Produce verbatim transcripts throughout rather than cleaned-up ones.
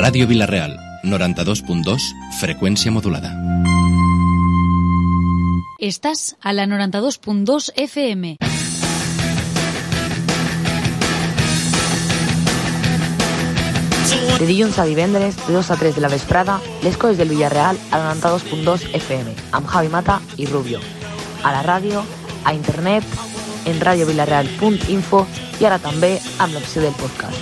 Ràdio Vila-real, noranta-dos punt dos, freqüència modulada. Estàs a la noranta-dos punt dos F M. De dilluns a divendres, de dos a tres de la vesprada, les coses del Villarreal a noranta-dos punt dos F M, amb Javi Mata i Rubio. A la ràdio, a internet, en radiovilareal punt info i ara també amb l'opció del podcast.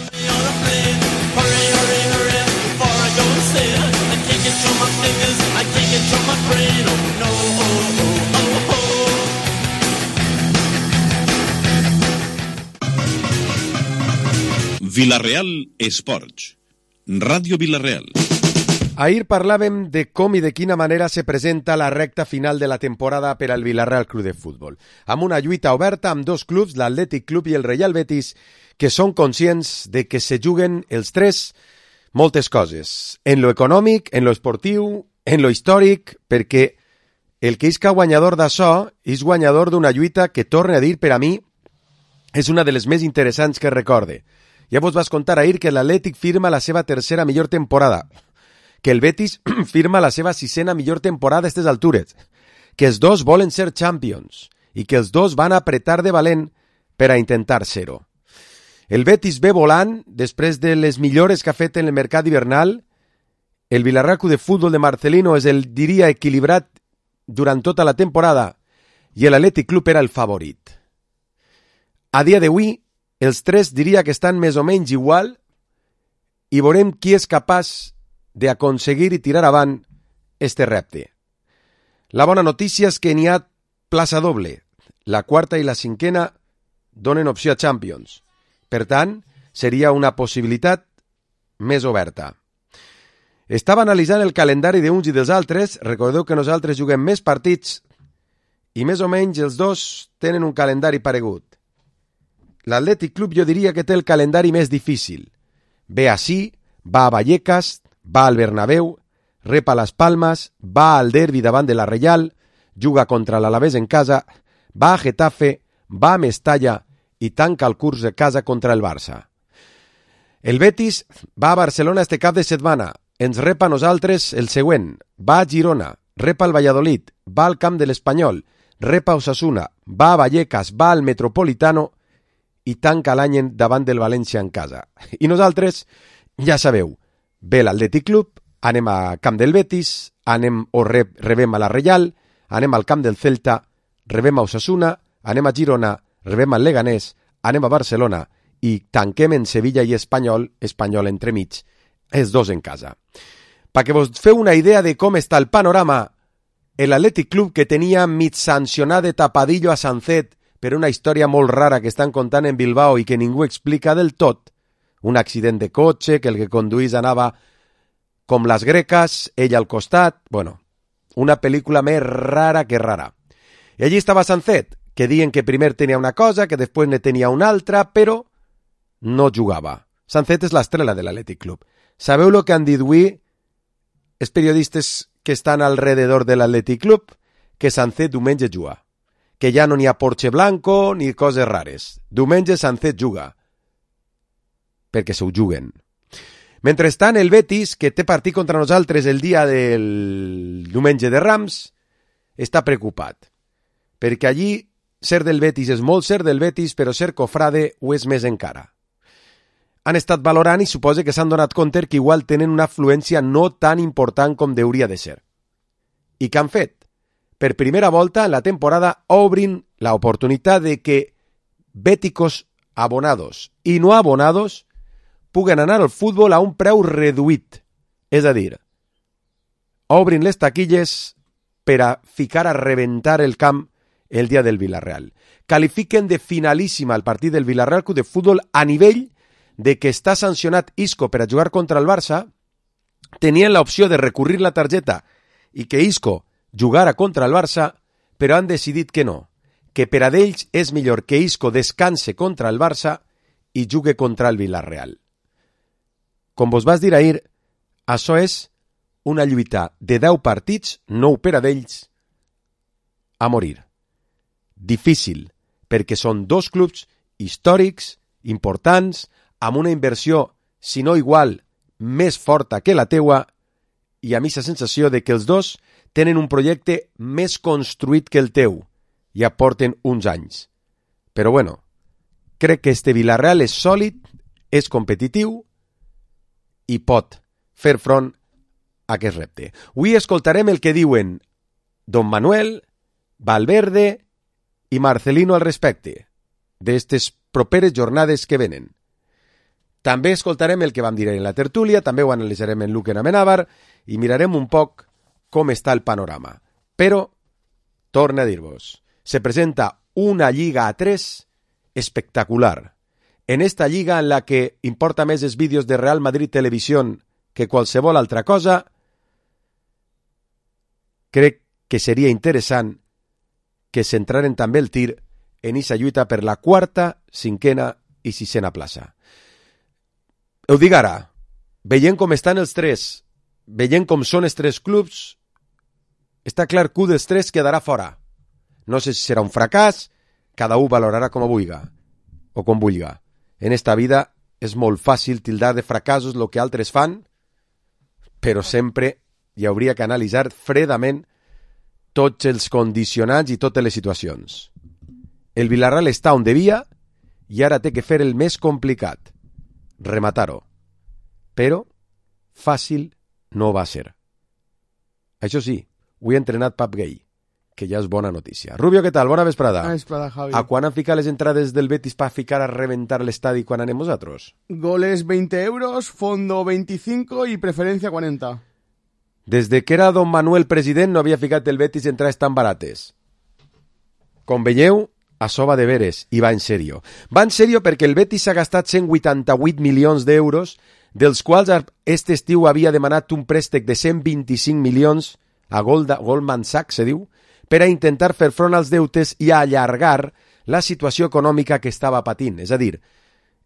Vila-real Esports, Ràdio Vila-real. Ahir parlàvem de com i de quina manera se presenta la recta final de la temporada per al Vila-real Club de Futbol, amb una lluita oberta amb dos clubs, l'Atlètic Club i el Reial Betis, que són conscients de que se juguen els tres moltes coses, en lo econòmic, en lo esportiu, en lo històric, perquè el que isca guanyador d'això és guanyador d'una lluita que, torne a dir, per a mi, és una de les més interessants que recorde. Ja vos vas contar ahir que l'Atlètic firma la seva tercera millor temporada, que el Betis firma la seva sisena millor temporada a aquestes altures, que els dos volen ser champions i que els dos van apretar de valent per a intentar ser-ho. El Betis ve volant després de les millores que ha fet en el mercat hivernal. El Vila-real Club de Futbol de Marcelino és el, diria, equilibrat durant tota la temporada i l'Atlètic Club era el favorit. A dia d'avui, els tres diria que estan més o menys igual i veurem qui és capaç d'aconseguir i tirar avant este repte. La bona notícia és que n'hi ha plaça doble. La quarta i la cinquena donen opció a Champions. Per tant, seria una possibilitat més oberta. Estava analitzant el calendari d'uns i dels altres. Recordeu que nosaltres juguem més partits i més o menys els dos tenen un calendari paregut. L'Atlètic Club jo diria que té el calendari més difícil. Ve ací, va a Vallecas, va al Bernabéu, rep a Las Palmas, va al derbi davant de la Reial, juga contra l'Alavés en casa, va a Getafe, va a Mestalla i tanca el curs de casa contra el Barça. El Betis va a Barcelona este cap de setmana, ens rep a nosaltres el següent, va a Girona, rep al Valladolid, va al camp de l'Espanyol, rep a Osasuna, va a Vallecas, va al Metropolitano i tanca l'any davant del València en casa. I nosaltres, ja sabeu, ve l'Atlètic Club, anem a camp del Betis, anem o rep, rebem a la Reial, anem al camp del Celta, rebem a Osasuna, anem a Girona, rebem al Leganés, anem a Barcelona i tanquem en Sevilla i Espanyol, Espanyol entremig, els dos en casa. Perquè vos feu una idea de com està el panorama, l'Atlètic Club que tenia mig sancionat de tapadillo a Sancet per una història molt rara que estan contant en Bilbao i que ningú explica del tot, un accident de cotxe, que el que conduís anava com les greques, ell al costat, bueno, una pel·lícula més rara que rara. I allí estava Sancet, que diuen que primer tenia una cosa, que després ne tenia una altra, però no jugava. Sancet és l'estrella de l'Atlètic Club. Sabeu el que han dit avui els periodistes que estan alrededor de l'Atlètic Club? Que Sancet diumenge juga. Que ja no n'hi ha Porsche Blanco ni coses rares. Diumenge Sancet juga. Perquè s'ho juguen. Mentrestant, el Betis, que té partit contra nosaltres el dia del diumenge de Rams, està preocupat. Perquè allí ser del Betis és molt ser del Betis, però ser cofrade ho és més encara. Han estat valorant i suposa que s'han donat compte que igual tenen una afluència no tan important com deuria de ser. I què han fet? Per primera volta en la temporada obrin la oportunitat de que béticos abonados i no abonados puguen anar al futbol a un preu reduït. És a dir, obrin les taquilles per a ficar a reventar el camp el dia del Vila-real. Califiquen de finalíssima el partit del Vila-real Club de Futbol a nivell de que està sancionat Isco per a jugar contra el Barça, tenien l'opció de recurrir la targeta i que Isco jugara contra el Barça, però han decidit que no, que per a d'ells és millor que Isco descanse contra el Barça i jugue contra el Vila-real. Com vos vas dir ahir, això és una lluita de deu partits, nou per a d'ells, a morir. Difícil, perquè són dos clubs històrics, importants, amb una inversió, si no igual, més forta que la teua i a mi la sensació de que els dos tenen un projecte més construït que el teu. Ja porten uns anys. Però bueno, crec que este Villarreal és sòlid, és competitiu i pot fer front a aquest repte. Avui escoltarem el que diuen Don Manuel, Valverde i Marcelino al respecte d'estes properes jornades que venen. També escoltarem el que vam dir en la tertúlia, també ho analitzarem en Luquen Amenábar i mirarem un poc com està el panorama. Però, torno a dir-vos, se presenta una Lliga a tres espectacular. En esta lliga en la que importa més els vídeos de Real Madrid Televisión que qualsevol altra cosa, crec que seria interessant que centraren també el tir en aquesta lluita per la quarta, cinquena i sisena plaça. Ho dic ara, veient com estan els tres, veient com són els tres clubs, està clar que un dels tres quedarà fora. No sé si serà un fracàs, cada un valorarà com a vulga, o com vulga. En esta vida és molt fàcil tildar de fracassos el que altres fan, però sempre hi hauria que analitzar fredament tots els condicionants i totes les situacions. El Villarreal està on devia i ara té que fer el més complicat, rematar-ho. Però fàcil no va ser. Això sí, ho he entrenat Pap Gay, que ja és bona notícia. Rubio, què tal? Bona vesprada. Bona vesprada, Javi. A quan han ficat les entrades del Betis per ficar a reventar l'estadi quan anem nosaltres? Goles veinte euros, fondo veinticinco y preferencia cuarenta. Desde que era Don Manuel president no havia ficat el Betis entrades tan barates. Com veieu, això va de veres i va en sèrio. Va en sèrio perquè el Betis ha gastat cent vuitanta-vuit milions d'euros, dels quals aquest estiu havia demanat un préstec de cent vint-i-cinc milions a Goldman Sachs, se diu, per a intentar fer front als deutes i a allargar la situació econòmica que estava patint. És a dir,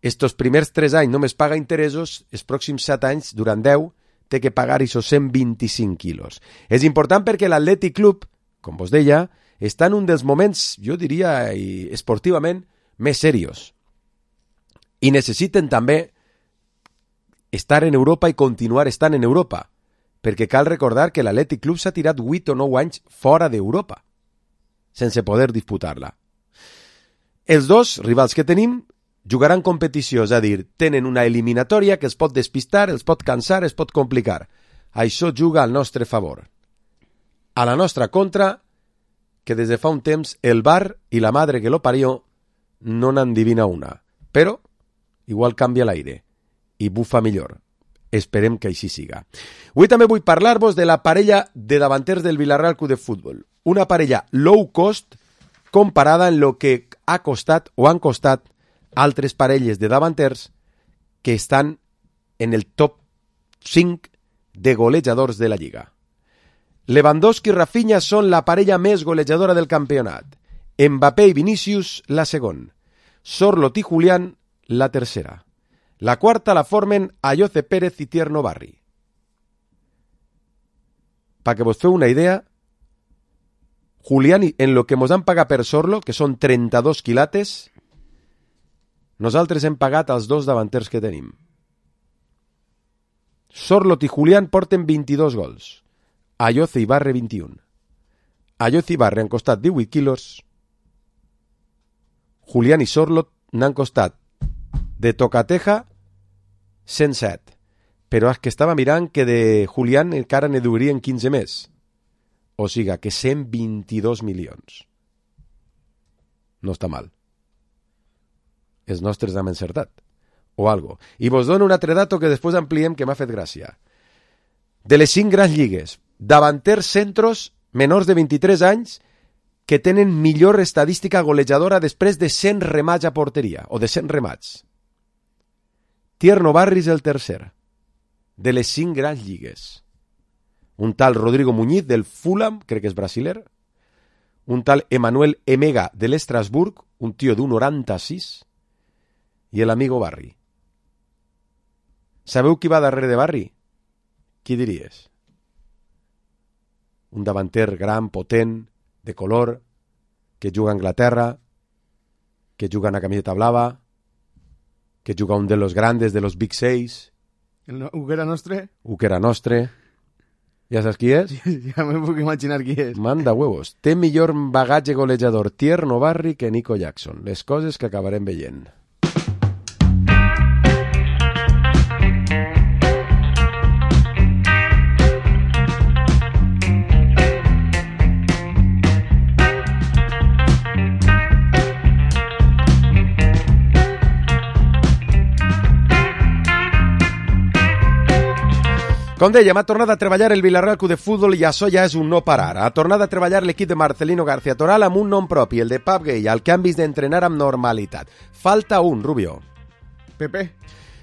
estos primers tres anys només paga interessos, els pròxims set anys, durant deu, té que pagar aquests cent vint-i-cinc quilos. És important perquè l'Atlètic Club, com vos deia, està en un dels moments, jo diria, esportivament, més serios. I necessiten també estar en Europa i continuar estant en Europa, perquè cal recordar que l'Atlètic Club s'ha tirat vuit o nou anys fora d'Europa, sense poder disputar-la. Els dos rivals que tenim jugaran competició, és a dir, tenen una eliminatòria que els pot despistar, els pot cansar, els pot complicar. Això juga al nostre favor. A la nostra contra, que des de fa un temps el bar i la madre que lo parió no n'endivina una. Però, igual canvia l'aire i bufa millor. Esperem que així siga. Avui també vull parlar-vos de la parella de davanters del Villarreal Club de Futbol. Una parella low cost comparada en lo que ha costat o han costat altres parelles de davanters que estan en el top cinc de golejadors de la Lliga. Lewandowski i Rafinha són la parella més golejadora del campionat. Mbappé i Vinícius, la segon. Sorloth i Julián, la tercera. La quarta la formen Ayoce Pérez i Tierno Barri. Pa que vos feu una idea, Julián, en lo que mos han pagat per Sorlo, que són trenta-dos quilates, nosaltres hem pagat els dos davanters que tenim. Sorloth i Julián porten vint-i-dos gols. Ayoce i Barre vint-i-un. Ayoce i Barre han costat divuit quilos. Julián i Sorloth n'han costat de tocateja cent set. Però és que estava mirant que de Julián encara ne durien quinze més. O siga, que cent vint-i-dos milions. No està mal. Els nostres hem encertat. O algo. I vos dono un altre dato que després ampliem que m'ha fet gràcia. De les cinc grans lligues, davanters centros menors de vint-i-tres anys que tenen millor estadística golejadora després de cent remats a porteria, o de cent remats. Tierno Barri és el tercer, de les cinc grans lligues. Un tal Rodrigo Muñiz del Fulham, crec que és brasiler, un tal Emanuel Emega de l'Estrasburg, un tio d'un noranta-sis, i l'amigo Barri. Sabeu qui va darrere de Barri? Qui diries? Un davanter gran, potent, de color, que juga a Anglaterra, que juga una camiseta blava, que juga un de los grandes, de los Big Seis, El no, Uguera Nostre. Uguera Nostre. Ja saps qui és? Ja me puc imaginar qui és. Manda huevos. Té millor bagatge golejador Tierno Barri que Nico Jackson. Les coses que acabarem veient. Com dèiem, ha tornat a treballar el Villarreal Club de Futbol i això ja és un no parar. Ha tornat a treballar l'equip de Marcelino García Toral amb un nom propi, el de Pep Gay, al que han vist d'entrenar amb normalitat. Falta un, Rubio. Pepe.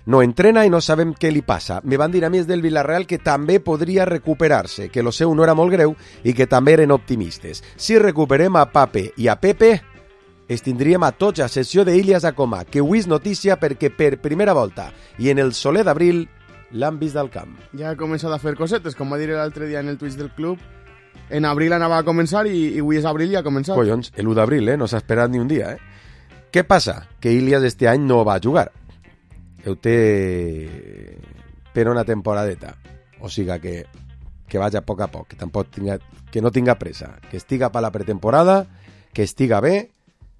No entrena i no sabem què li passa. Me van dir a mi és del Villarreal que també podria recuperar-se, que lo seu no era molt greu i que també eren optimistes. Si recuperem a Pape i a Pepe, es tindríem a tots a sessió d'Ilias a Comà, que avui és notícia perquè per primera volta i en el soler d'abril l'han vist al camp. Ja ha començat a fer cosetes, com va dir l'altre dia en el Twitch del club. En abril anava a començar i, i avui és abril i ha començat. Collons, l'u d'abril, eh? No s'ha esperat ni un dia, eh? Què passa? Que Ilias este any no va jugar. Ho té per una temporadeta. O siga que, que vagi a poc a poc, que, tampoc tinga, que no tinga pressa, que estiga per la pretemporada, que estiga bé,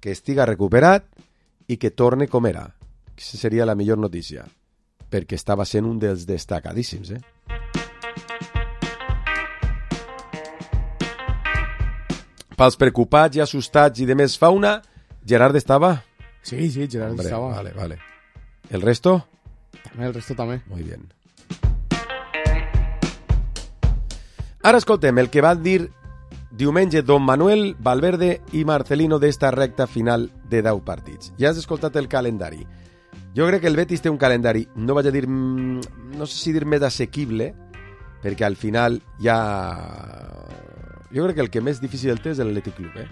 que estiga recuperat i que torne com era. Aquesta seria la millor notícia, perquè estava sent un dels destacadíssims, eh? Pels preocupats i assustats i de més fauna, Gerard estava? Sí, sí, Gerard Hombre, estava. Vale, vale. ¿El resto? També, el resto també. Muy bien. Ara escoltem el que va dir diumenge Don Manuel, Valverde i Marcelino d'esta recta final de deu partits. Ja has escoltat el calendari. Jo crec que el Betis té un calendari, no vaig a dir, no sé si dir més assequible, perquè al final ja... Jo crec que el que més difícil té és l'Atlètic Club, eh?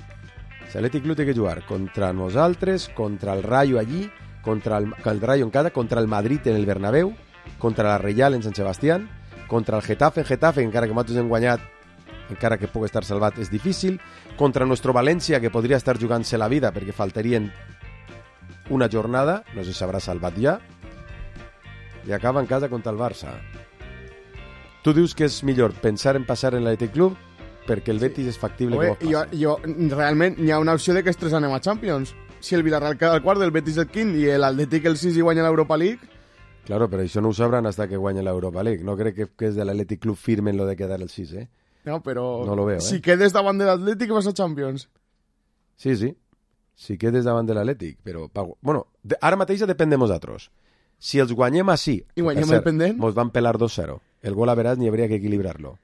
L'Atlètic Club té que jugar contra nosaltres, contra el Rayo allí, contra el, el Rayo en casa, contra el Madrid en el Bernabéu, contra la Real en Sant Sebastián, contra el Getafe en Getafe, encara que nosaltres hem guanyat, encara que pugui estar salvat, és difícil, contra nuestro València, que podria estar jugant-se la vida, perquè faltarien una jornada, no sé si s'haurà salvat ja, i acaba en casa contra el Barça. Tu dius que és millor pensar en passar en l'Atlètic Club perquè el Betis és factible Oye, que jo, jo, realment hi ha una opció de que els tres anem a Champions. Si el Villarreal queda al quart, el Betis el quint i l'Atlètic el sis i guanya l'Europa League. Claro, però això no ho sabran hasta que guanya l'Europa League. No crec que, que és de l'Atlètic Club firmen lo de quedar el sis, eh? No, però no lo veo, si eh? quedes davant de l'Atlètic vas a Champions. Sí, sí. Si quedes davant de l'Atlètic, però... Bueno, de, ara mateix depèn de nosaltres. Si els guanyem així... I guanyem el pendent? Mos van pelar dos zero. El gol a veràs ni hauria que equilibrar-lo.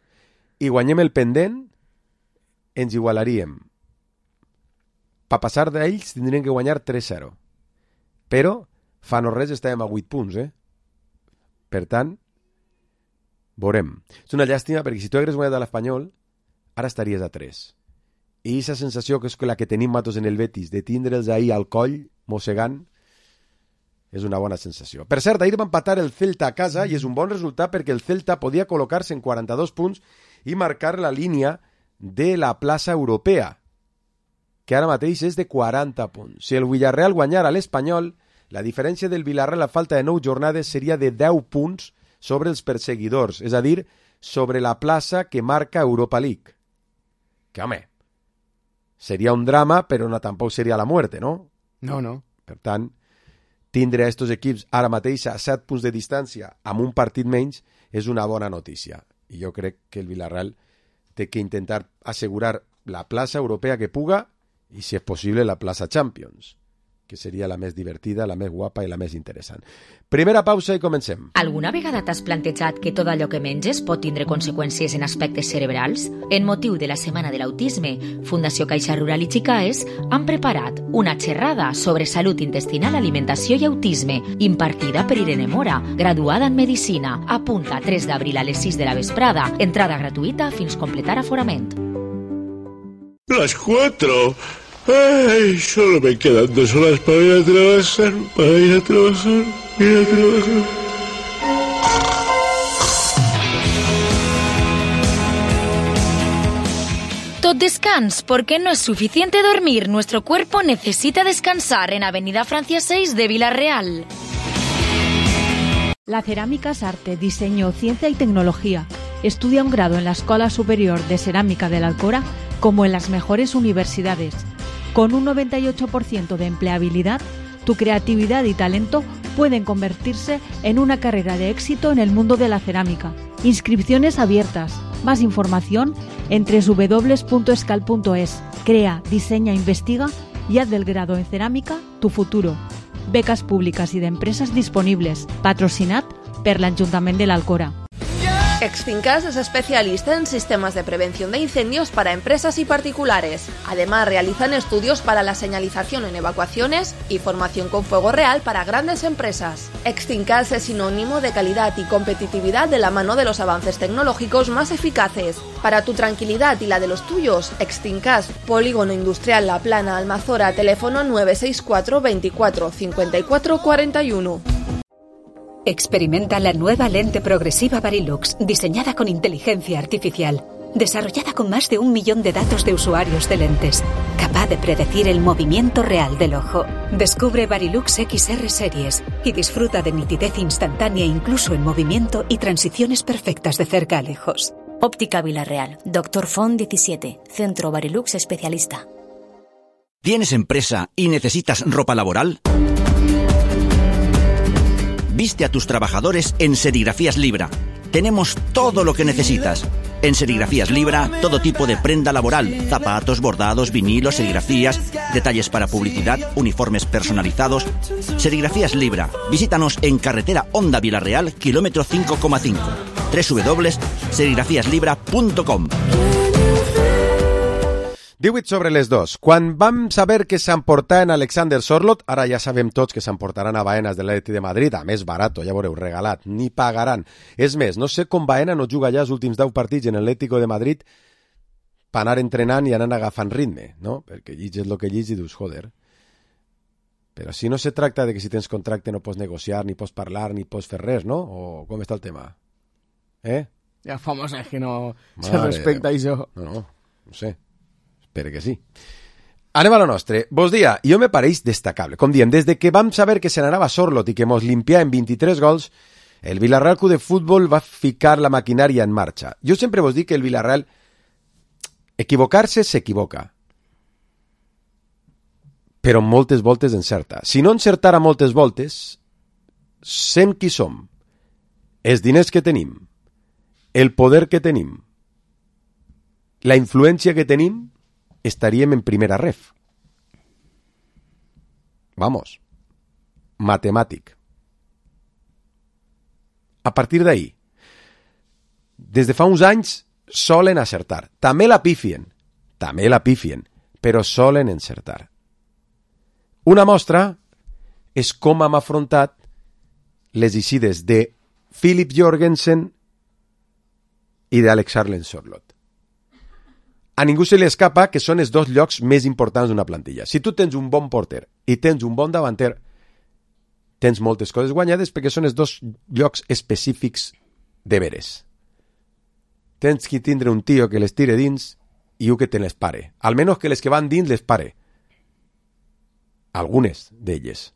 I guanyem el pendent, ens igualaríem. Per passar d'ells tindríem que guanyar tres zero. Però, fa no res, estàvem a vuit punts, eh? Per tant, veurem. És una llàstima perquè si tu hagués guanyat a l'Espanyol, ara estaries a tres. I aquesta sensació que és la que tenim matos en el Betis, de tindre'ls ahir al coll, mossegant, és una bona sensació. Per cert, ahir va empatar el Celta a casa i és un bon resultat perquè el Celta podia col·locar-se en quaranta-dos punts i marcar la línia de la plaça europea, que ara mateix és de quaranta punts. Si el Villarreal guanyara l'Espanyol, la diferència del Villarreal a falta de nou jornades seria de deu punts sobre els perseguidors, és a dir, sobre la plaça que marca Europa League. Que, home, seria un drama, però no, tampoc seria la muerte, no? No, no. Per tant, tindre a estos equips ara mateix a set punts de distància amb un partit menys és una bona notícia. I jo crec que el Villarreal té que intentar assegurar la plaça europea que puga i, si és possible, la plaça Champions, que seria la més divertida, la més guapa i la més interessant. Primera pausa i comencem. Alguna vegada t'has plantejat que tot allò que menges pot tindre conseqüències en aspectes cerebrals? En motiu de la Setmana de l'Autisme, Fundació Caixa Rural i Chicaes han preparat una xerrada sobre salut intestinal, alimentació i autisme, impartida per Irene Mora, graduada en Medicina. Apunta tres d'abril a les sis de la vesprada, entrada gratuïta fins completar aforament. Las cuatro... Ay, solo me quedan dos horas para ir a trabajar, para ir a trabajar, ir a trabajar. Tot descans, porque no es suficiente dormir. Nuestro cuerpo necesita descansar en Avenida Francia seis de Villarreal. La cerámica es arte, diseño, ciencia y tecnología. Estudia un grado en la Escuela Superior de Cerámica de la Alcora como en las mejores universidades. Con un noventa y ocho por ciento de empleabilidad, tu creatividad y talento pueden convertirse en una carrera de éxito en el mundo de la cerámica. Inscripciones abiertas. Más información en doble u doble u doble u punto escal punto es. Crea, diseña, investiga y haz del grado en cerámica tu futuro. Becas públicas y de empresas disponibles. Patrocinat per l'Ajuntament de l'Alcora. Exfincas es especialista en sistemas de prevención de incendios para empresas y particulares. Además, realizan estudios para la señalización en evacuaciones y formación con fuego real para grandes empresas. Exfincas es sinónimo de calidad y competitividad de la mano de los avances tecnológicos más eficaces. Para tu tranquilidad y la de los tuyos, Exfincas, Polígono Industrial La Plana, Almazora, teléfono nueve seis cuatro veinticuatro cincuenta y cuatro cuarenta y uno. Experimenta la nueva lente progresiva Varilux, diseñada con inteligencia artificial, desarrollada con más de un millón de datos de usuarios de lentes, capaz de predecir el movimiento real del ojo. Descubre Varilux X R Series y disfruta de nitidez instantánea incluso en movimiento y transiciones perfectas de cerca a lejos. Óptica Villarreal, Doctor Font diecisiete, Centro Varilux Especialista. ¿Tienes empresa y necesitas ropa laboral? Viste a tus trabajadores en Serigrafías Libra. Tenemos todo lo que necesitas. En Serigrafías Libra, todo tipo de prenda laboral, zapatos, bordados, vinilos, serigrafías, detalles para publicidad, uniformes personalizados. Serigrafías Libra. Visítanos en carretera Honda Villarreal, kilómetro cinco coma cinco. doble u doble u doble u punto serigrafías libra punto com. divuit sobre les dos. Quan vam saber que s'emportaven Alexander Sorloth, ara ja sabem tots que s'emportaran a Baenas de l'Atleti de Madrid, a més barat, ja veureu, regalat, ni pagaran. És més, no sé com Baena no juga ja els últims deu partits en l'Atlético de Madrid per anar entrenant i anar agafant ritme, no? Perquè llitges el que llitges i dius, joder. Però si no se tracta de que si tens contracte no pots negociar, ni pots parlar, ni pots fer res, no? O com està el tema? Eh? Ja fa molts anys que no se respecta això. No, no, no sé. Espero que sí. Anem a lo nostre. Vos dia, jo me pareix destacable. Com diem, des de que vam saber que se n'anava Sorloth i que mos limpià en vint-i-tres gols, el Villarreal Club de Futbol va ficar la maquinària en marxa. Jo sempre vos dic que el Villarreal equivocar-se s'equivoca, però moltes voltes encerta. Si no encertara moltes voltes, sent qui som, els diners que tenim, el poder que tenim, la influència que tenim, estaríem en primera ref. Vamos, matemàtic. A partir d'ahí, des de fa uns anys, solen acertar. També la pifien, també la pifien, però solen encertar. Una mostra és com hem afrontat les eixides de Philip Jorgensen i d'Alex Arlen Sorloth. A ningú se li escapa que són els dos llocs més importants d'una plantilla. Si tu tens un bon porter i tens un bon davanter, tens moltes coses guanyades perquè són els dos llocs específics de veres. Tens que tindre un tio que les tire dins i un que te les pare. Almenys que les que van dins les pare. Algunes d'elles.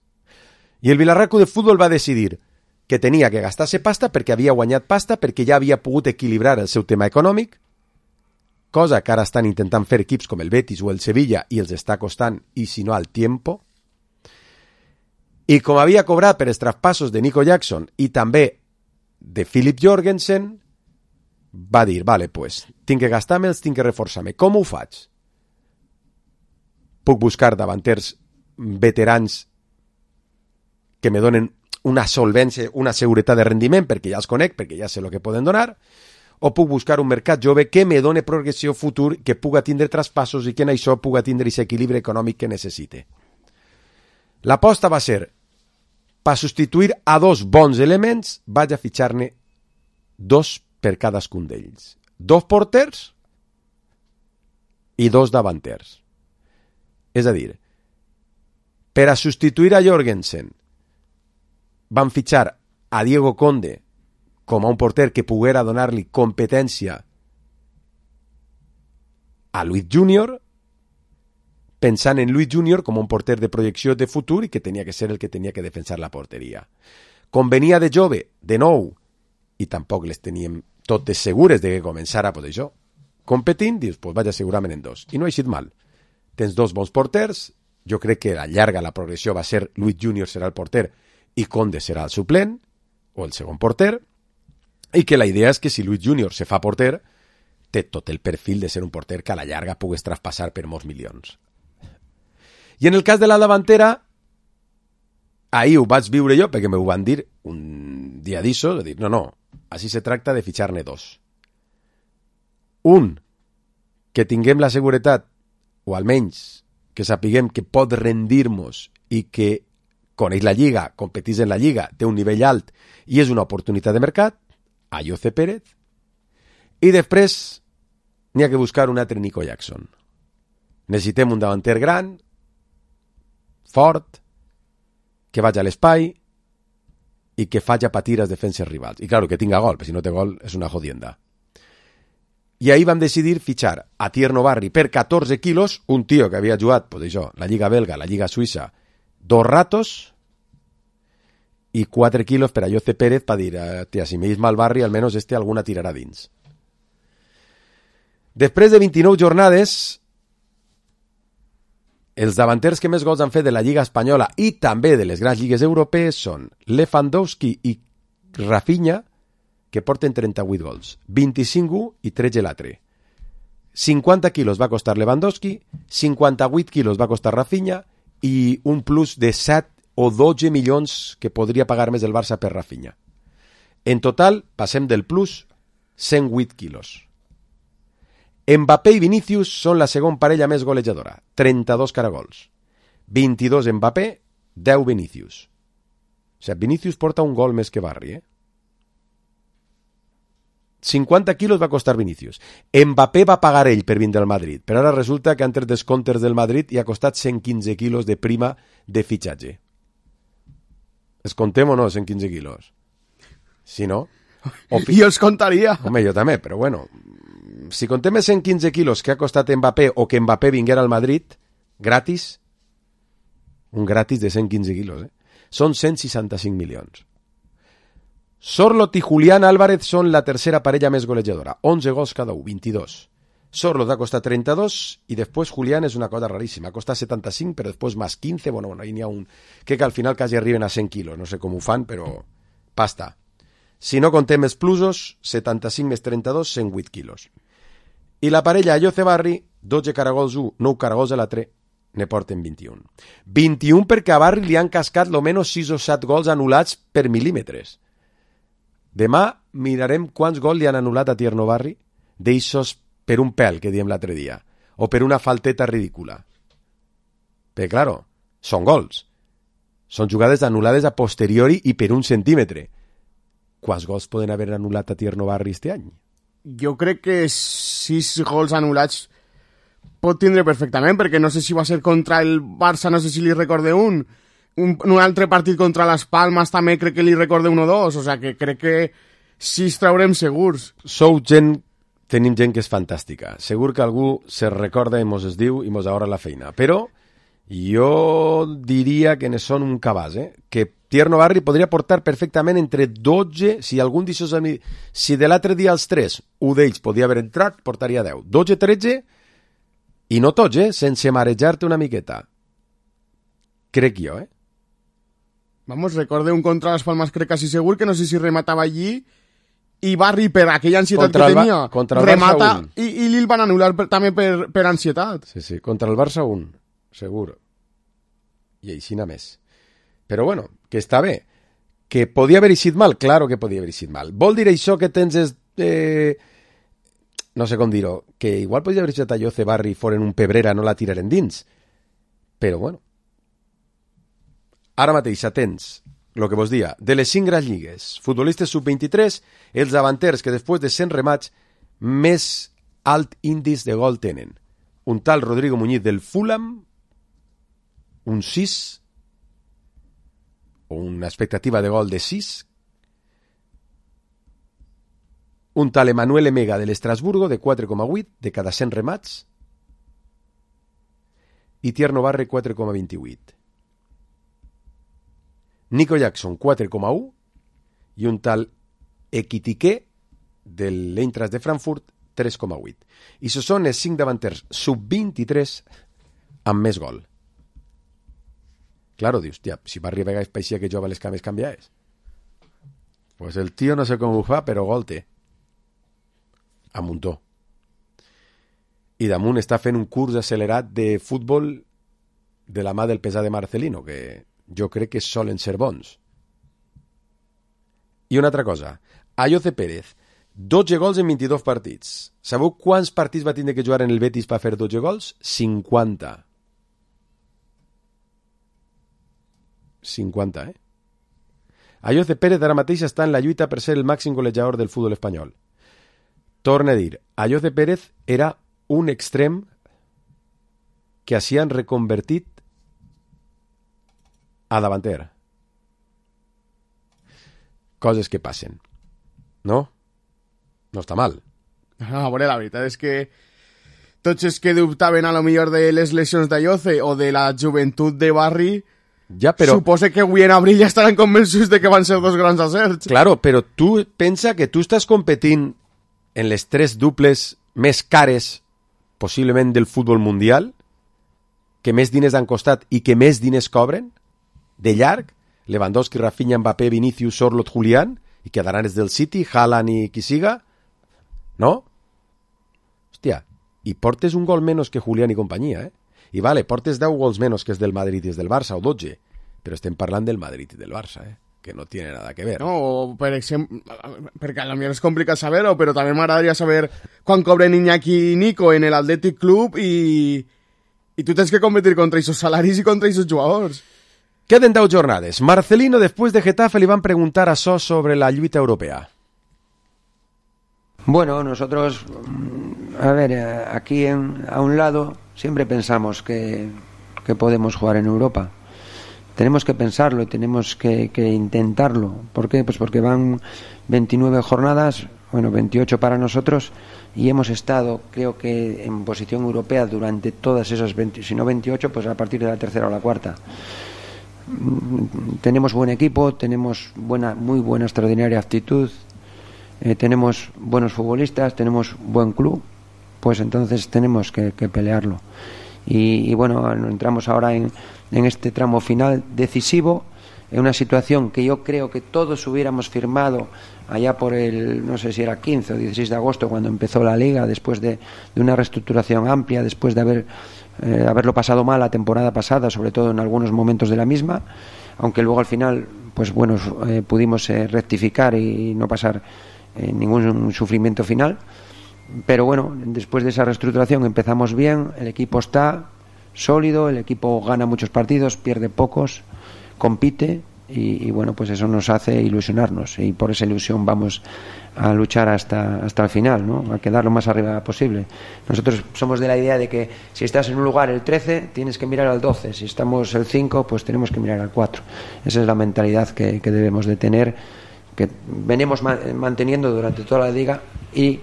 I el Villarreal Club de Futbol va decidir que tenia que gastar-se pasta perquè havia guanyat pasta, perquè ja havia pogut equilibrar el seu tema econòmic, cosa que ara estan intentant fer equips com el Betis o el Sevilla i els està costant, i si no al tiempo. I com havia cobrat per els traspassos de Nico Jackson i també de Philip Jorgensen, va dir, vale, pues, tinc que gastar-me'ls, tinc que reforçar-me. Com ho faig? Puc buscar davanters veterans que me donen una solvència, una seguretat de rendiment, perquè ja els conec, perquè ja sé el que poden donar, o puc buscar un mercat jove que me doni progressió futur, que puga tindre traspassos i que en això puga tindre aquest equilibri econòmic que necessite. L'aposta va ser, per substituir a dos bons elements, vaig a fitxar-ne dos per cadascun d'ells. Dos porters i dos davanters. És a dir, per a substituir a Jorgensen, van fitxar a Diego Conde com a un porter que poguera donar-li competència a Luis Junior, pensant en Luis Junior com un porter de projecció de futur i que tenia que ser el que tenia que defensar la porteria. com venia de jove, de nou, i tampoc les teníem totes segures de que començara, pues això, competint, dius, pues vaig assegurament en dos. I no ha eixit mal. Tens dos bons porters, jo crec que a llarga la progressió va ser Luis Júnior serà el porter i Conde serà el suplent, o el segon porter, i que la idea és que si Luis Júnior se fa porter, té tot el perfil de ser un porter que a la llarga pugues traspassar per molts milions. I en el cas de la davantera, ahir ho vaig viure jo, perquè m'ho van dir un dia d'això, de dir, no, no, així se tracta de fitxar-ne dos. Un, que tinguem la seguretat, o almenys que sapiguem que pot rendir-nos i que coneix la Lliga, competís en la Lliga, té un nivell alt i és una oportunitat de mercat, Ayoce Pérez, i després n'hi ha que buscar un altre Nico Jackson. Necessitem un davanter gran, fort, que vagi a l'espai i que faci patir les defenses rivals. I claro, que tinga gol, perquè si no té gol és una jodienda. I ahir vam decidir fitxar a Tierno Barri per catorze quilos, un tio que havia jugat, pues això, la Lliga Belga, la Lliga Suïssa, dos ratos, i quatre quilos per a Ayoce Pérez per dir, tia, si me dis mal Barri, almenys este alguna tirarà dins. Després de vint-i-nou jornades, els davanters que més gols han fet de la Lliga Espanyola i també de les grans lligues europees són Lewandowski i Rafinha, que porten trenta-vuit gols, vint-i-cinc u i tretze l'altre. cinquanta quilos va costar Lewandowski, cinquanta-vuit quilos va costar Rafinha i un plus de set o dotze milions que podria pagar més el Barça per Rafinha. En total, passem del plus cent vuit quilos. Mbappé i Vinícius són la segona parella més golejadora, trenta-dos caragols. vint-i-dos Mbappé, deu Vinícius. O sigui, Vinícius porta un gol més que Barri, eh? cinquanta quilos va costar Vinícius. Mbappé va pagar ell per vindre al Madrid, però ara resulta que entre descomptes del Madrid hi ha costat cent quinze quilos de prima de fitxatge. Es contem o no, cent quinze quilos? Si no... O fi... Jo els contaria. Home, jo també, però bueno... Si contem els cent quinze quilos que ha costat Mbappé o que Mbappé vinguera al Madrid, gratis, un gratis de cent quinze quilos, eh? Són cent seixanta-cinc milions. Sorloth i Julián Álvarez són la tercera parella més golejadora, onze gols cada un, vint-i-dos. Sorloth ha costat trenta-dos i després Julián és una cosa raríssima, ha costat setanta-cinc però després més quinze, bueno, bueno, ahí n'hi ha un que, que al final quasi arriben a cent quilos, no sé com ho fan, però pasta. Si no contem els plusos, setanta-cinc més trenta-dos, cent vuit quilos. I la parella Ayoce Barri, dotze caragols un, nou caragols a l'altre, ne porten vint-i-un. vint-i-un perquè a Barri li han cascat lo menos sis o set gols anul·lats per mil·límetres. Demà mirarem quants gols li han anul·lat a Tierno Barri d'eixos per un pèl, que diem l'altre dia, o per una falteta ridícula. Perquè, claro, són gols. Són jugades anul·lades a posteriori i per un centímetre. Quants gols poden haver anul·lat a Tierno Barri este any? Jo crec que sis gols anul·lats pot tindre perfectament, perquè no sé si va ser contra el Barça, no sé si li recorde un, un, un altre partit contra les Palmes també crec que li recorde un o dos, o sigui que crec que sis traurem segurs. Sou gent, tenim gent que és fantàstica, segur que algú se recorda i mos es diu i mos ahorra la feina, però jo diria que ne són un cabàs, eh? Que Tierno Barri podria portar perfectament entre dotze, si algun d'aixòs, si de l'altre dia els tres, un d'ells podia haver entrat, portaria deu. dotze, tretze, i no tots, eh? Sense marejar-te una miqueta. Crec jo, eh? Vamos, recorde un contra les Palmes, crec quasi segur, que no sé si rematava allí, i Barri, per aquella ansietat contra que tenia, contra el remata, i, i li el van anul·lar per, també per, per ansietat. Sí, sí, contra el Barça un, segur. I així n'ha més. Però bueno, que està bé. Que podia haver eixit mal? Claro que podia haver eixit mal. Vol dir això que tens... Es, eh, no sé com dir-ho, que igual podia haver eixit a Ayoce Barri foren un pebrera, no la tiraren dins. Però bueno. Ara mateix atents, el que vos dia, de les cinc grans lligues, futbolistes sub vint-i-tres, els davanters que després de cent remats més alt índice de gol tenen. Un tal Rodrigo Muñiz del Fulham, un sis, una expectativa de gol de sis, un tal Emanuel Emega de l'Estrasburgo de quatre coma vuit de cada cent remats i Tierno Barri quatre coma vint-i-vuit. Nico Jackson quatre coma u i un tal Ekitike del l'Eintracht de Frankfurt, tres coma vuit. I això són els cinc davanters sub vint-i-tres amb més gol. Claro, dius, tia, si va arribar a paixia que jove les cames canviades. Pues el tío no sé com ho fa, però gol té. A muntó. I damunt està fent un curs accelerat de futbol de la mà del pesar de Marcelino, que jo crec que solen ser bons. I una altra cosa, Ayoce Pérez, dotze gols en vint-i-dos partits. Sabeu quants partits va tindre que jugar en el Betis per fer dotze gols? cinquanta. cinquanta, eh? Ayoce Pérez ara mateix està en la lluita per ser el màxim golejador del futbol espanyol. Torna a dir, Ayoce Pérez era un extrem que s'han reconvertit a davanter. Coses que passen. No? No està mal. A veure, la veritat és que tots els que dubtaven a lo millor de les lesions d'Ayoce o de la joventut de Barri, ja, però... suposo que avui en abril ja estaran convençuts de que van ser dos grans acerts. Claro, però tu pensa que tu estàs competint en les tres duples més cares possiblement del futbol mundial, que més diners han costat i que més diners cobren, de llarg, Lewandowski, Rafinha, Mbappé, Vinicius, Sorloth, Julián, i quedaran els del City, Haaland i qui siga, no? Hòstia, i portes un gol menys que Julián i companyia, eh? I vale, portes deu gols menys que és del Madrid i és del Barça, o dotze, però estem parlant del Madrid i del Barça, eh? Que no tiene nada que ver. No, per exemple, perquè a lo millor és complicat saber-ho, però també m'agradaria saber quan cobren Iñaki i Nico en el Athletic Club i, i tu tens que competir contra aquests salaris i contra aquests jugadors. Queden deu jornades. Marcelino, después de Getafe, le van a preguntar a Sos sobre la lluita europea. Bueno, nosotros, a ver, aquí en, a un lado siempre pensamos que, que podemos jugar en Europa. Tenemos que pensarlo y tenemos que, que intentarlo. ¿Por qué? Pues porque van veintinueve jornadas, bueno, veintiocho para nosotros, y hemos estado, creo que, en posición europea durante todas esas veinte, si no veintiocho, pues a partir de la tercera o la cuarta. Tenemos buen equipo, tenemos buena, muy buena, extraordinaria actitud, eh, tenemos buenos futbolistas, tenemos buen club, pues entonces tenemos que, que pelearlo. Y, y bueno, entramos ahora en, en este tramo final decisivo, en una situación que yo creo que todos hubiéramos firmado allá por el, no sé si era quince o dieciséis de agosto, cuando empezó la Liga, después de, de una reestructuración amplia, después de haber eh, haberlo pasado mal la temporada pasada, sobre todo en algunos momentos de la misma, aunque luego al final, pues bueno, eh, pudimos eh, rectificar y no pasar eh, ningún sufrimiento final. Pero bueno, después de esa reestructuración empezamos bien, el equipo está sólido, el equipo gana muchos partidos, pierde pocos, compite y, y bueno, pues eso nos hace ilusionarnos y por esa ilusión vamos a luchar hasta, hasta el final, ¿no? A quedar lo más arriba posible. Nosotros somos de la idea de que si estás en un lugar el trece, tienes que mirar al doce, si estamos el cinco, pues tenemos que mirar al cuatro. Esa es la mentalidad que, que debemos de tener, que venimos ma- manteniendo durante toda la liga y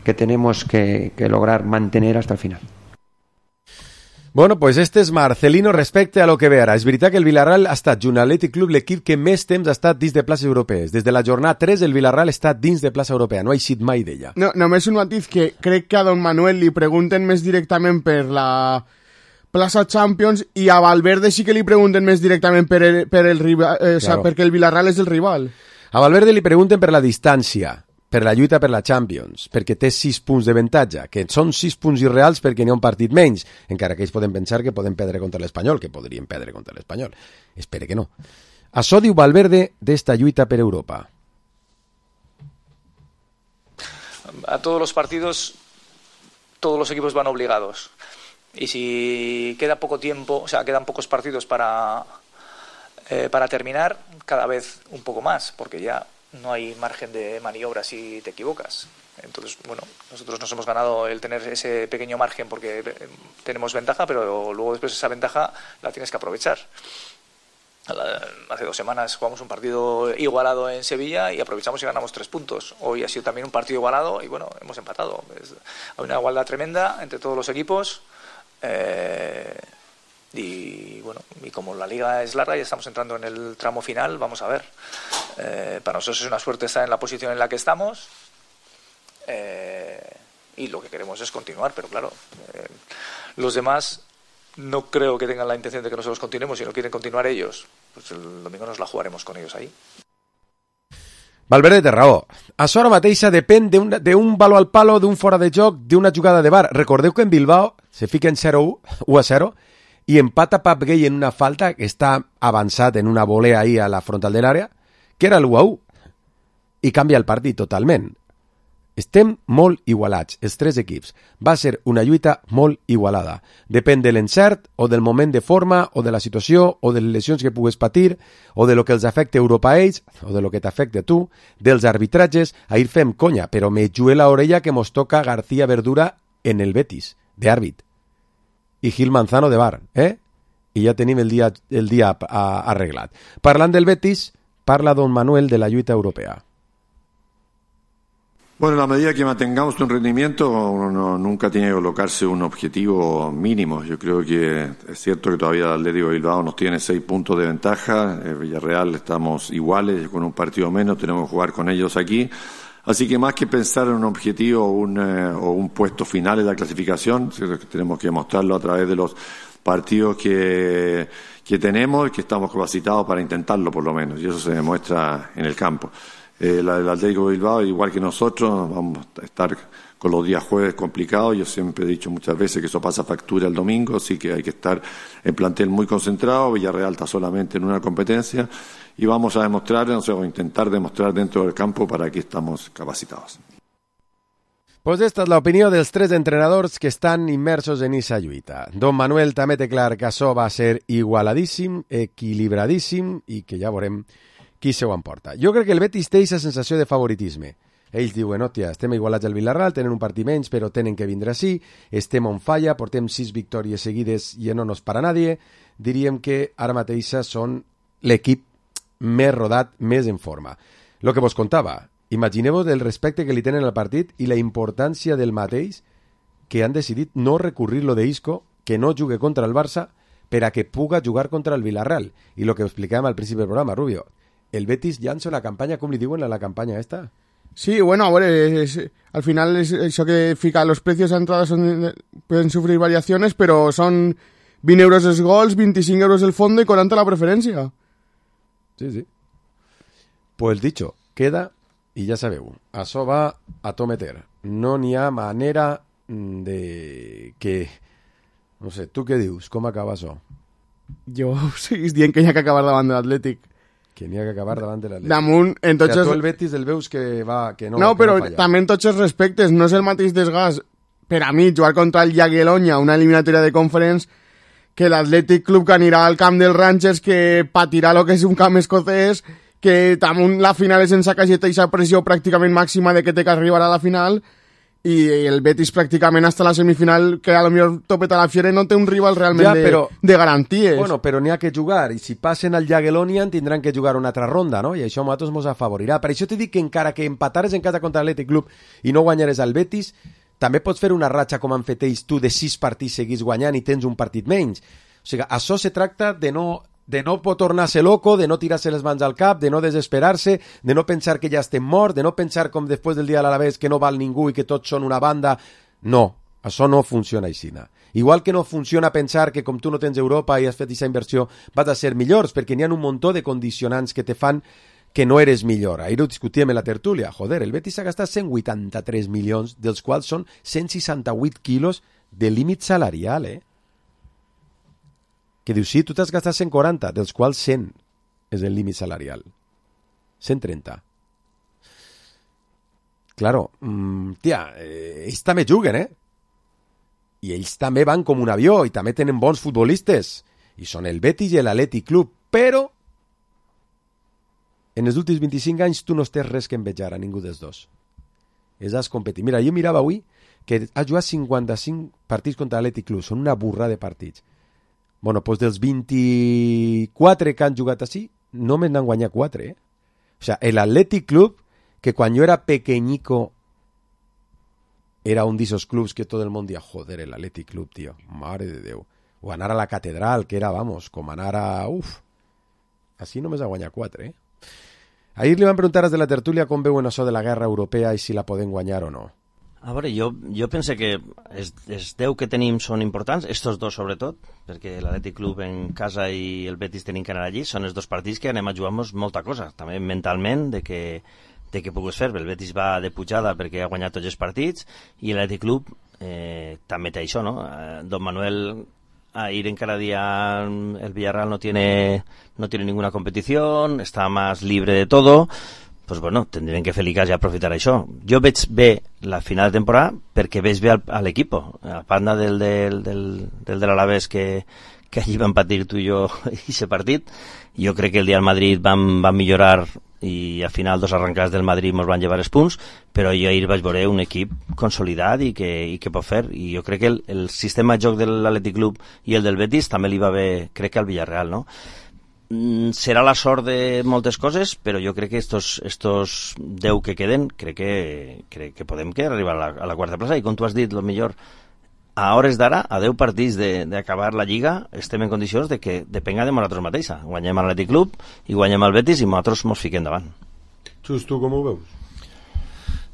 que tenemos que, que lograr mantener hasta el final. Bueno, pues este és Marcelino respecte a lo que ve ara. És veritat que el Villarreal ha estat, junt a l'Athletic Club, l'equip que més temps ha estat dins de places europees. Des de la jornada tres, el Villarreal està dins de plaça europea. No ha eixit mai d'ella. No, només un matís que crec que a Don Manuel li pregunten més directament per la plaça Champions i a Valverde sí que li pregunten més directament per el, per el rival, eh, claro. O sea, perquè el Villarreal és el rival. A Valverde li pregunten per la distància, per la lluita per la Champions, perquè té sis punts de avantatge, que són sis punts irreals perquè n'hi ha un partit menys, encara que ells poden pensar que poden perdre contra l'Espanyol, que podrien perdre contra l'Espanyol. Espere que no. Això diu Valverde d'esta lluita per Europa. A todos los partidos, todos los equipos van obligados. Y si queda poco tiempo, o sea, quedan pocos partidos para, eh, para terminar, cada vez un poco más, porque ya no hay margen de maniobra si te equivocas. Entonces, bueno, nosotros nos hemos ganado el tener ese pequeño margen porque tenemos ventaja, pero luego después esa ventaja la tienes que aprovechar. Hace dos semanas jugamos un partido igualado en Sevilla y aprovechamos y ganamos tres puntos. Hoy ha sido también un partido igualado y bueno, hemos empatado. Es, hay una igualdad tremenda entre todos los equipos. Eh, Y bueno, y como la liga es larga y estamos entrando en el tramo final, vamos a ver. Eh, para nosotros es una suerte estar en la posición en la que estamos. Eh, y lo que queremos es continuar, pero claro, eh, los demás no creo que tengan la intención de que nosotros continuemos. Si no quieren continuar ellos, pues el domingo nos la jugaremos con ellos ahí. Valverde té raó. Això ara mateixa depèn d'un d'un palo al palo, d'un fora de joc, d'una jugada de bar. Recordeu que en Bilbao se fica en zero u, u a zero, i empata Pap Gay en una falta que està avançat en una volea ahí a la frontal de l'àrea, que era l'u a u, i canvia el partit totalment. Estem molt igualats, els tres equips. Va ser una lluita molt igualada. Depèn de l'encert, o del moment de forma, o de la situació, o de les lesions que pugues patir, o de lo que els afecta Europa a ells, o de lo que t'afecta a tu, dels arbitratges. Ahir fem conya, però me jugué la orella que mos toca García Verdura en el Betis, de àrbit. I Gil Manzano de bar, eh? I ja tenim el dia, el dia arreglat. Parlant del Betis, parla don Manuel de la lluita europea. Bueno, en la medida que mantengamos un rendimiento, uno nunca tiene que colocarse un objetivo mínimo. Yo creo que es cierto que todavía el Atlético de Bilbao nos tiene seis puntos de ventaja. En Villarreal estamos iguales, con un partido menos, tenemos que jugar con ellos aquí. Así que más que pensar en un objetivo un, eh, o un puesto final en la clasificación, tenemos que mostrarlo a través de los partidos que, que tenemos y que estamos capacitados para intentarlo por lo menos. Y eso se demuestra en el campo. Eh, el Atlético de Bilbao, igual que nosotros, vamos a estar con los días jueves complicados. Yo siempre he dicho muchas veces que eso pasa factura el domingo, así que hay que estar en plantel muy concentrado. Villarreal está solamente en una competencia y vamos a demostrar, o sea, intentar demostrar dentro del campo para que estamos capacitados. Pues esta és l'opinió dels tres entrenadors que estan immersos en esa lluita. Don Manuel també té clar que això va ser igualadíssim, equilibradíssim i que ja veurem qui se ho emporta. Jo crec que el Betis té aquesta sensació de favoritisme. Ells diuen, hòstia, estem igualats al Villarreal, tenen un partit menys, però tenen que vindre així, estem on falla, portem sis victòries seguides i no nos para nadie. Diríem que ara mateixa són l'equip més rodat, més en forma. Lo que vos contava, imagineu-vos el respecte que li tenen al partit i la importància del mateix que han decidit no recurrir-lo de Isco, que no jugui contra el Barça, per a que puga jugar contra el Villarreal. I lo que explicàvem al principi del programa, Rubio, el Betis llança la campanya, com li diuen a la campanya esta? Sí, bueno, a ver, es, al final es eso que fica los precios de entrada son, pueden sufrir variaciones, pero son veinte euros els gols, veinticinc euros el fondo y cuarenta la preferència. Sí, sí. Pues dicho, queda, i ja sabeu, això va a to meter. No n'hi ha manera de que... No sé, tu què dius? Com acaba això? Jo seguís dient que hi ha que acabar davant de l'Atlètic. Que n'hi ha que acabar davant de l'Atlètic. Damunt, en tots... Que tu el Betis el veus que va... Que no, no, que però no falla. també en tots els respectes, no és el mateix desgast per a mi jugar contra el Jagiellonia, una eliminatòria de Conference, que l'Atlètic Club que anirà al camp dels Rangers, que patirà el que és un camp escocès, que damunt la final és sense cageta i aquesta pressió pràcticament màxima de que té que arribar a la final, i el Betis pràcticament hasta la semifinal, que a lo millor topet a la Fiore, no té un rival realment ja, però, de, de garanties. Bueno, però n'hi ha que jugar, i si passen al Jagiellonian tindran que jugar una altra ronda, no? I això a nosaltres ens afavorirà. Per això t'he dit que encara que empatares en casa contra l'Atlètic Club i no guanyares al Betis, també pots fer una ratxa com han fet ells tu de sis partits seguits guanyant i tens un partit menys. O sigui, això se tracta de no... de no tornar-se loco, de no tirar-se les mans al cap, de no desesperar-se, de no pensar que ja estem morts, de no pensar com després del dia de l'Alavés que no val ningú i que tots són una banda. No, això no funciona així. Igual que no funciona pensar que com tu no tens Europa i has fet aquesta inversió vas a ser millors, perquè n'hi ha un muntó de condicionants que te fan que no eres millor. Ahir ho discutíem en la tertúlia. Joder, el Betis ha gastat cent vuitanta-tres milions, dels quals són cent seixanta-vuit quilos de límit salarial, eh? Que dius, sí, tu t'has gastat cent quaranta, dels quals cent és el límit salarial. cent trenta. Claro, mmm, tia, eh, ells també juguen, eh? I ells també van com un avió i també tenen bons futbolistes. I són el Betis i l'Atlètic Club, però en els últims vint-i-cinc anys tu no tens res que envejar a ningú dels dos. És has competit. Mira, jo mirava avui que ha jugat cinquanta-cinc partits contra l'Atlètic Club. Són una burra de partits. Bueno, doncs dels vint-i-quatre que han jugat així, només n'han guanyat quatre, eh? O sigui, l'Atlètic Club, que quan jo era pequeñico era un d'esos clubs que tot el món dia, joder, l'Atlètic Club, tio, mare de Déu. o anar a la catedral, que era, vamos, com anar a... Uf, així només ha guanyat quatre, eh? Ahir li van preguntar des de la tertúlia com veuen això de la guerra europea i si la poden guanyar o no. A veure, jo, jo penso que els, els deu que tenim són importants, estos dos sobretot, perquè l'Atlètic Club en casa i el Betis tenim que anar allí, són els dos partits que anem a jugar-nos molta cosa, també mentalment, de que, de que pugues fer. El Betis va de pujada perquè ha guanyat tots els partits i l'Atlètic Club eh, també té això, no? Eh, Don Manuel, ahir encara dia el Villarreal no tiene, no tiene ninguna competición, está más libre de todo. Pues bueno, tendrían que fer l'I C A S i aprofitar això. Jo veig bé la final de temporada perquè veig bé al, a l'equip, a banda del, del, del, del de l'Alavés que, que allí van patir tu i jo aquest partit. Jo crec que el dia del Madrid van, van millorar i al final dos arrencats del Madrid ens van llevar els punts, però jo ahir vaig veure un equip consolidat i que, i que pot fer, i jo crec que el, el sistema de joc de l'Atlètic Club i el del Betis també li va bé, crec que al Villarreal, no? Serà la sort de moltes coses, però jo crec que estos, estos deu que queden, crec que, crec que podem que arribar a la, a la quarta plaça, i com tu has dit, lo millor, a hores d'ara, a deu partits d'acabar la Lliga, estem en condicions de que depenga de nosaltres mateixa. Guanyem a l'Atlètic Club i guanyem al Betis i nosaltres mos fiquem davant. Xus, tu com ho veus?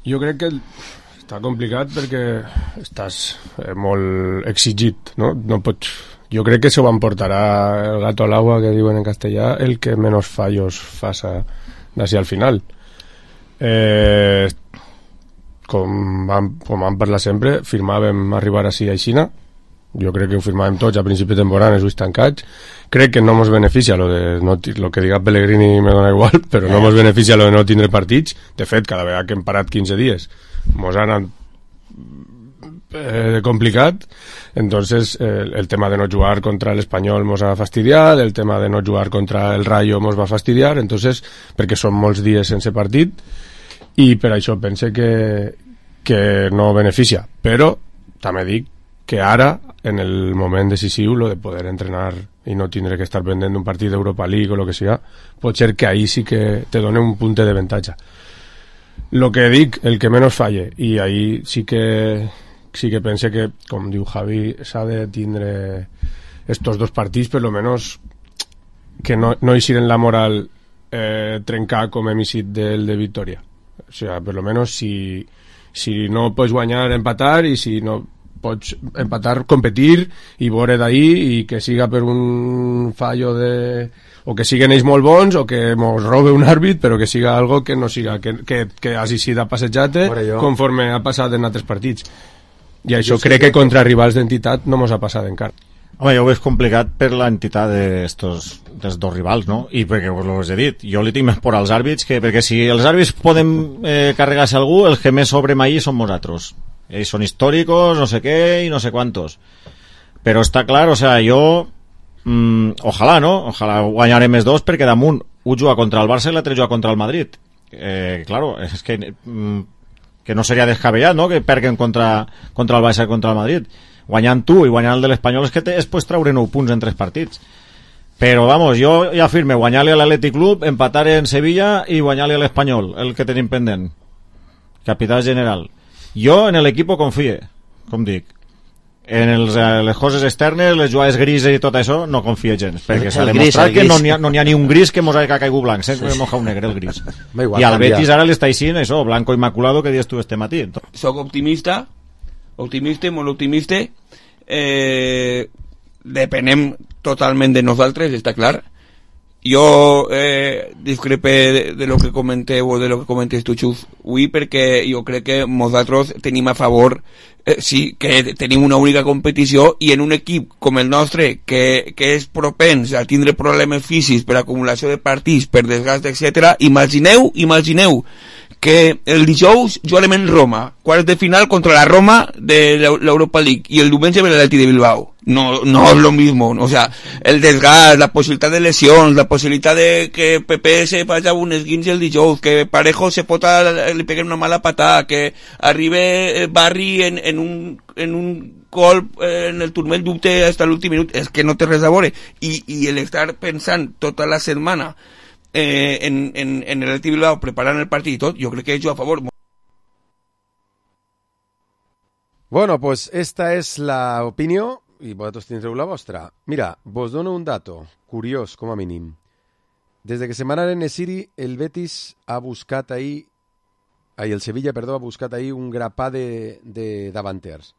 Jo crec que està complicat perquè estàs eh, molt exigit, no? No pots... Jo crec que se ho emportarà el gato al agua, que diuen en castellà, el que menos fallos faça d'ací al final. Eh, com vam, com vam parlar sempre, firmàvem arribar així a Xina. Jo crec que ho firmàvem tots a principi de temporada, els ulls tancats. Crec que no ens beneficia lo de no, lo que diga Pellegrini me dona igual, però no ens beneficia lo de no tindre partits. De fet, cada vegada que hem parat quinze dies mos han anat Eh, complicat. Entonces eh, el tema de no jugar contra l'Espanyol mos ha fastidiat, el tema de no jugar contra el Rayo mos va fastidiar, entonces perquè són molts dies sense partit i per això pense que, que no beneficia, però també dic que ara en el moment decisiu lo de poder entrenar i no tindre que estar pendent d'un partit d'Europa League o lo que sigui, pot ser que ahí sí que te done un punt de avantatge. Lo que dic, el que menos falle, i ahí sí que sí que pense que, com diu Javi, s'ha de tindre estos dos partits, per lo menos que no, no eixir en la moral eh, trencar com hem eixit del de Victoria. O sea, per lo menos si, si no pots guanyar, empatar, i si no pots empatar, competir i veure d'ahí, i que siga per un fallo de... o que siguen ells molt bons, o que mos robe un àrbit, però que siga algo que no siga, que, que, que hagi sigut passejat conforme ha passat en altres partits. I això jo crec que contra rivals d'entitat no mos ha passat encara. Home, jo ho veig complicat per l'entitat d'estos, dels dos rivals, no? I perquè us he dit, jo li tinc més por als àrbits, que, perquè si els àrbits poden eh, carregar-se algú, els que més sobrem ahí som nosaltres. Ells són històricos, no sé què, i no sé quantos. Però està clar, o sea, jo... Mm, ojalà, no? Ojalà guanyarem els dos, perquè damunt un juga contra el Barça i l'altre juga contra el Madrid. Eh, claro, és que... Mm, que no seria descabellat, no?, que perquen contra, contra el Barça i contra el Madrid. Guanyant tu i guanyant el de l'Espanyol és que te, es pots treure nou punts en tres partits. Però, vamos, jo ja firme guanyar-li a l'Atlètic Club, empatar en Sevilla i guanyar-li a l'Espanyol, el que tenim pendent. Capità general. Jo en l'equip confie, com dic. En els, les coses externes, les jugades grises i tot això, no confia gens, perquè s'ha demostrat que no n'hi ha, no ha ni un gris que mos ha caigut blanc, sempre moja un negre el gris. I al Betis ara l'està així, això, blanco immaculado, que dius tu este matí. Soc optimista, optimista, molt optimista, eh, depenem totalment de nosaltres, està clar. Jo eh, discrepe de, de lo que comenteu o de lo que comentes tu, Xus, avui, perquè jo crec que nosaltres tenim a favor, eh, sí, que tenim una única competició, i en un equip com el nostre, que, que és propens a tindre problemes físics per acumulació de partits, per desgast, etcètera, imagineu, imagineu que el dijous jugarem en Roma, quarts de final contra la Roma de l'Europa League, i el diumenge ve l'Atlètic de Bilbao. No, no es lo mismo, o sea, el desgast, la possibilitat de lesions, la possibilitat de que Pepe se faci un esguince el dijous, que Parejo se pota, li peguen una mala patada, que arribe Barri en, en un, en un gol eh, en el turmell dubte hasta l'últim minut, és que no té res a veure, i, i el estar pensant tota la setmana eh, en, en, en el Atlètic Bilbao preparant el partit i tot, jo crec que he a favor. Bueno, pues esta es la opinió i vosaltres tindreu la vostra. Mira, vos dono un dato curiós, com a mínim. Des de que se manaren Nesiri, el Betis ha buscat ahir, ai, el Sevilla, perdó, ha buscat ahir un grapà de, de davanters,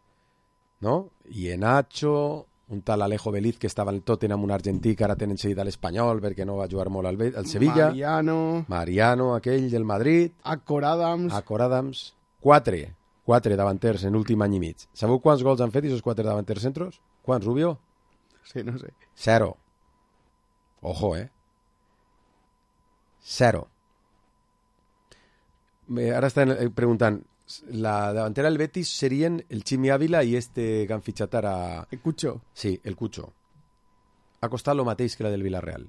no? I Nacho, un tal Alejo Beliz que estava al Tottenham, un argentí que ara tenen seguida l'Espanyol perquè no va jugar molt al, al Sevilla. Mariano. Mariano, aquell del Madrid. Acor Adams. Acor Adams. Quatre. Quatre davanters en l'últim any i mig. Sabeu quants gols han fet aquests quatre davanters centros? Quants, Rubio? Sí, no sé. Zero. Ojo, eh? Zero. Eh, ara estan preguntant, la davantera del Betis serien el Chimi Ávila i este que han fitxat ara... El Cucho. Sí, el Cucho. Ha costat el mateix que la del Villarreal.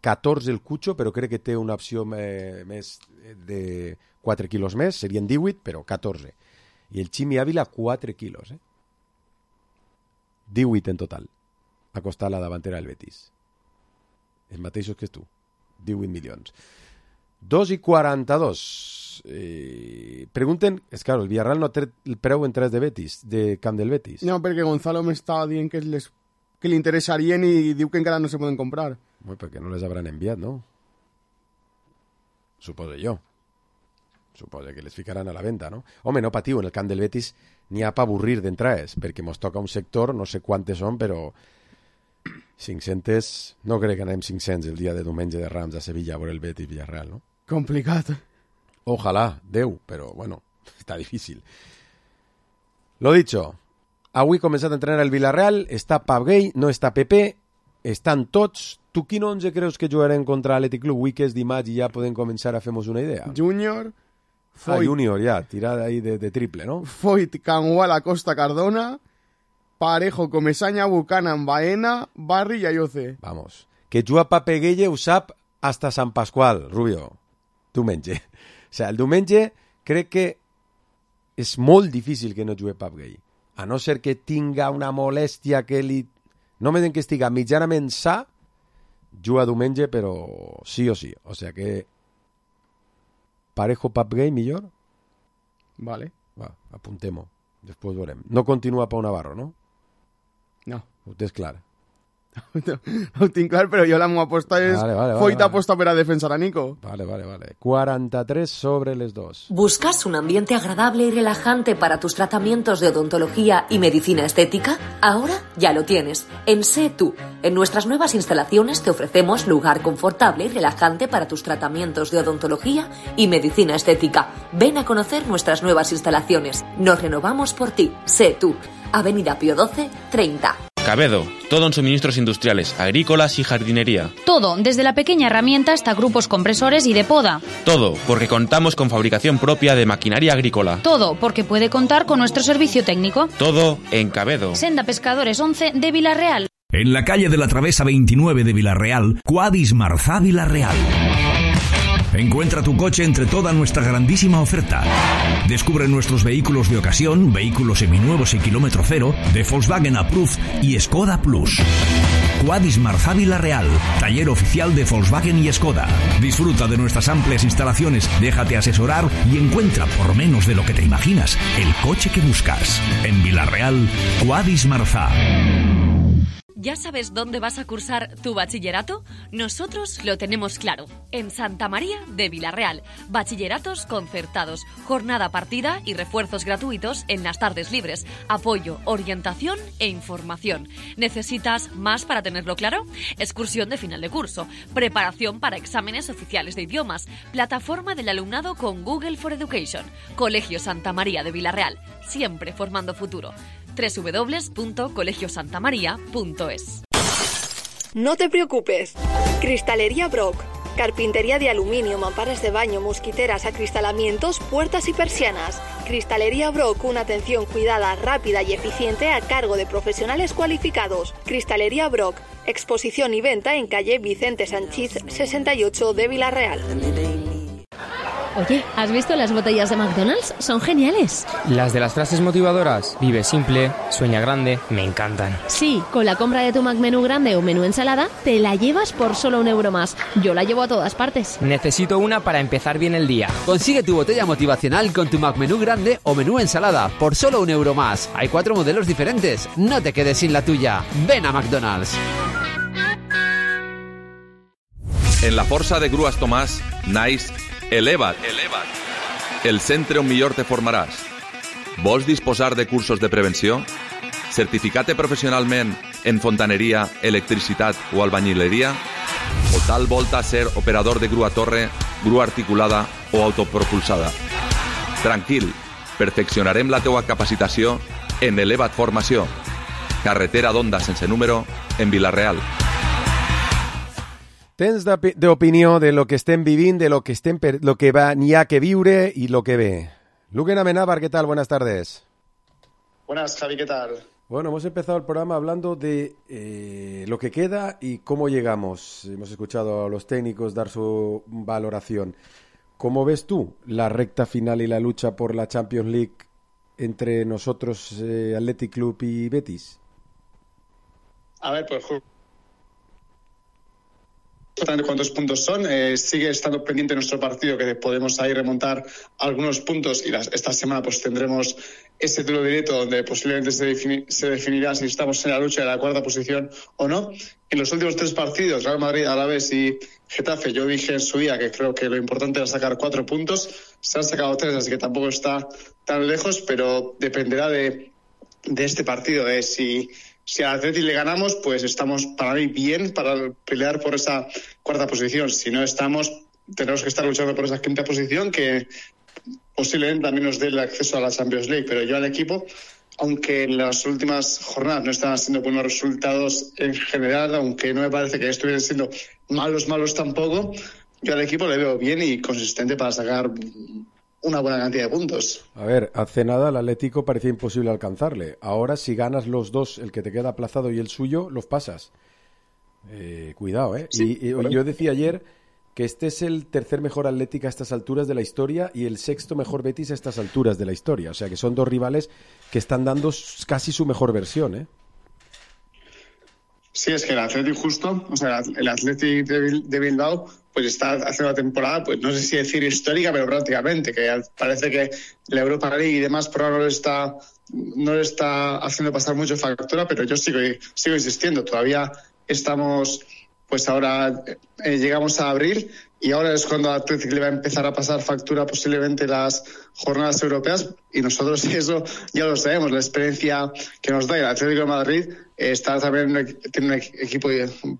catorze el Cucho, però crec que té una opció eh, més de quatre quilos més, serien divuit, però catorze. I el Chimi Ávila, quatre quilos, eh? divuit en total. Ha costat la davantera del Betis. Els mateixos que tu. divuit milions. dos i quaranta-dos. Eh, pregunten, és clar, el Villarreal no té el preu en tres de Betis, de camp del Betis. No, perquè Gonzalo m'estava dient que, les, que li interessarien i diu que encara no se poden comprar. Bueno, perquè no les hauran enviat, no? Suposo jo. Suposo que les ficaran a la venda, no? Home, no patiu, en el camp del Betis n'hi ha per avorrir d'entrades, perquè mos toca un sector, no sé quantes són, però cinc-centes, no crec que anem cinc-cents el dia de diumenge de Rams a Sevilla a veure el Betis Villarreal, no? Complicat. Ojalá, Déu, però bueno, està difícil. Lo dicho, avui començat a entrenar el Villarreal, està Pap Gay, no està Pepe, estan tots. Tu quin onze creus que jugarem contra l'Athletic Club? Avui que és dimarts i ja podem començar a fer-nos una idea. Júnior, Foyt. Ah, Júnior, ja, tirada ahí de, de triple, no? Foyt, Canguala, Costa Cardona, Parejo, Comesaña, Buchanan, Baena, Barri i Ayoce. Vamos, que juga Pape Gueye ho sap hasta Sant Pasqual, Rubio. Diumenge. O sigui, el diumenge crec que és molt difícil que no jugui Pap Gay. A no ser que tinga una molèstia que li... No me den que estiga mitjanament sa, juga diumenge, però sí o sí. O sigui que... Parejo Pap Gay, millor? Vale. Va, apuntem-ho. Després veurem. No continua Pau Navarro, no? No. Ho tens clar. No, ho tinc clar, però jo la meva aposta és vale, vale, Foyt vale. aposta per a defensar a Nico. Vale, vale, vale. cuarenta-tres sobre les dos. ¿Buscas un ambiente agradable y relajante para tus tratamientos de odontología y medicina estética? Ahora ya lo tienes. En Sé Tú. En nuestras nuevas instalaciones te ofrecemos lugar confortable y relajante para tus tratamientos de odontología y medicina estética. Ven a conocer nuestras nuevas instalaciones. Nos renovamos por ti. Sé Tú. Avenida Pío doce, treinta. Cabedo, todo en suministros industriales, agrícolas y jardinería. Todo, desde la pequeña herramienta hasta grupos compresores y de poda. Todo, porque contamos con fabricación propia de maquinaria agrícola. Todo, porque puede contar con nuestro servicio técnico. Todo en Cabedo. Senda Pescadores once de Villarreal. En la calle de la Travesa veintinueve de Villarreal, Quadis Marzá Villarreal. Encuentra tu coche entre toda nuestra grandísima oferta. Descubre nuestros vehículos de ocasión, vehículos seminuevos y kilómetro cero, de Volkswagen Approved y Skoda Plus. Quadis Marzá Villarreal, taller oficial de Volkswagen y Skoda. Disfruta de nuestras amplias instalaciones, déjate asesorar y encuentra, por menos de lo que te imaginas, el coche que buscas. En Villarreal, Quadis Marzá. ¿Ya sabes dónde vas a cursar tu bachillerato? Nosotros lo tenemos claro. En Santa María de Villarreal. Bachilleratos concertados, jornada partida y refuerzos gratuitos en las tardes libres. Apoyo, orientación e información. ¿Necesitas más para tenerlo claro? Excursión de final de curso. Preparación para exámenes oficiales de idiomas. Plataforma del alumnado con Google for Education. Colegio Santa María de Villarreal. Siempre formando futuro. doble u doble u doble u punto colegio santa maría punto es. No te preocupes. Cristalería Brock. Carpintería de aluminio, mamparas de baño, mosquiteras, acristalamientos, puertas y persianas. Cristalería Brock, una atención cuidada, rápida y eficiente a cargo de profesionales cualificados. Cristalería Brock, exposición y venta en calle Vicente Sanchís sesenta y ocho de Villarreal. Oye, ¿has visto las botellas de McDonald's? Son geniales. Las de las frases motivadoras, vive simple, sueña grande, me encantan. Sí, con la compra de tu McMenú grande o menú ensalada, te la llevas por solo un euro más. Yo la llevo a todas partes. Necesito una para empezar bien el día. Consigue tu botella motivacional con tu McMenú grande o menú ensalada por solo un euro más. Hay cuatro modelos diferentes. No te quedes sin la tuya. Ven a McDonald's. En la Força de Grues Tomàs naix Eleva't, Eleva't, el centre on millor te formaràs. Vols disposar de cursos de prevenció? Certificar-te professionalment en fontaneria, electricitat o albañileria? O tal volta ser operador de grua torre, grua articulada o autopropulsada? Tranquil, perfeccionarem la teua capacitació en Eleva't Formació. Carretera d'Onda sense número, en Vila-real. Tens d'opinió de lo que estem vivint, de lo que estem per, lo que va n'hi ha que viure y lo que ve. Luquen Amenábar, ¿qué tal? Buenas tardes. Buenas, Javi, ¿qué tal? Bueno, hemos empezado el programa hablando de eh, lo que queda y cómo llegamos. Hemos escuchado a los técnicos dar su valoración. ¿Cómo ves tú la recta final y la lucha por la Champions League entre nosotros, eh, Athletic Club y Betis? A ver, pues cuántos puntos son, eh, sigue estando pendiente nuestro partido, que podemos ahí remontar algunos puntos, y las, esta semana pues tendremos ese duelo directo donde posiblemente se, defini- se definirá si estamos en la lucha de la cuarta posición o no. En los últimos tres partidos, Real Madrid, Alavés y Getafe, yo dije en su día que creo que lo importante era sacar cuatro puntos. Se han sacado tres, así que tampoco está tan lejos, pero dependerá de, de este partido, de si Si al Atleti le ganamos, pues estamos para mí bien para pelear por esa cuarta posición. Si no estamos, tenemos que estar luchando por esa quinta posición, que posiblemente también nos dé el acceso a la Champions League. Pero yo al equipo, aunque en las últimas jornadas no estaban siendo buenos resultados en general, aunque no me parece que estuviesen siendo malos, malos tampoco, yo al equipo le veo bien y consistente para sacar una buena cantidad de puntos. A ver, hace nada el Atlético parecía imposible alcanzarle. Ahora, si ganas los dos, el que te queda aplazado y el suyo, los pasas. Eh, cuidado, ¿eh? Sí, y, y yo decía ayer que este es el tercer mejor Atlético a estas alturas de la historia y el sexto mejor Betis a estas alturas de la historia. O sea, que son dos rivales que están dando casi su mejor versión, ¿eh? Sí, es que el Atlético justo, o sea, el Atlético de Bilbao, pues está haciendo una temporada, pues no sé si decir histórica, pero prácticamente, que parece que la Europa League y demás por ahora no le está, no le está haciendo pasar mucho factura, pero yo sigo, sigo insistiendo, todavía estamos, pues ahora eh, llegamos a abril y ahora es cuando al Atlético le va a empezar a pasar factura posiblemente las jornadas europeas, y nosotros eso ya lo sabemos, la experiencia que nos da el Atlético de Madrid. Está también, tiene un equipo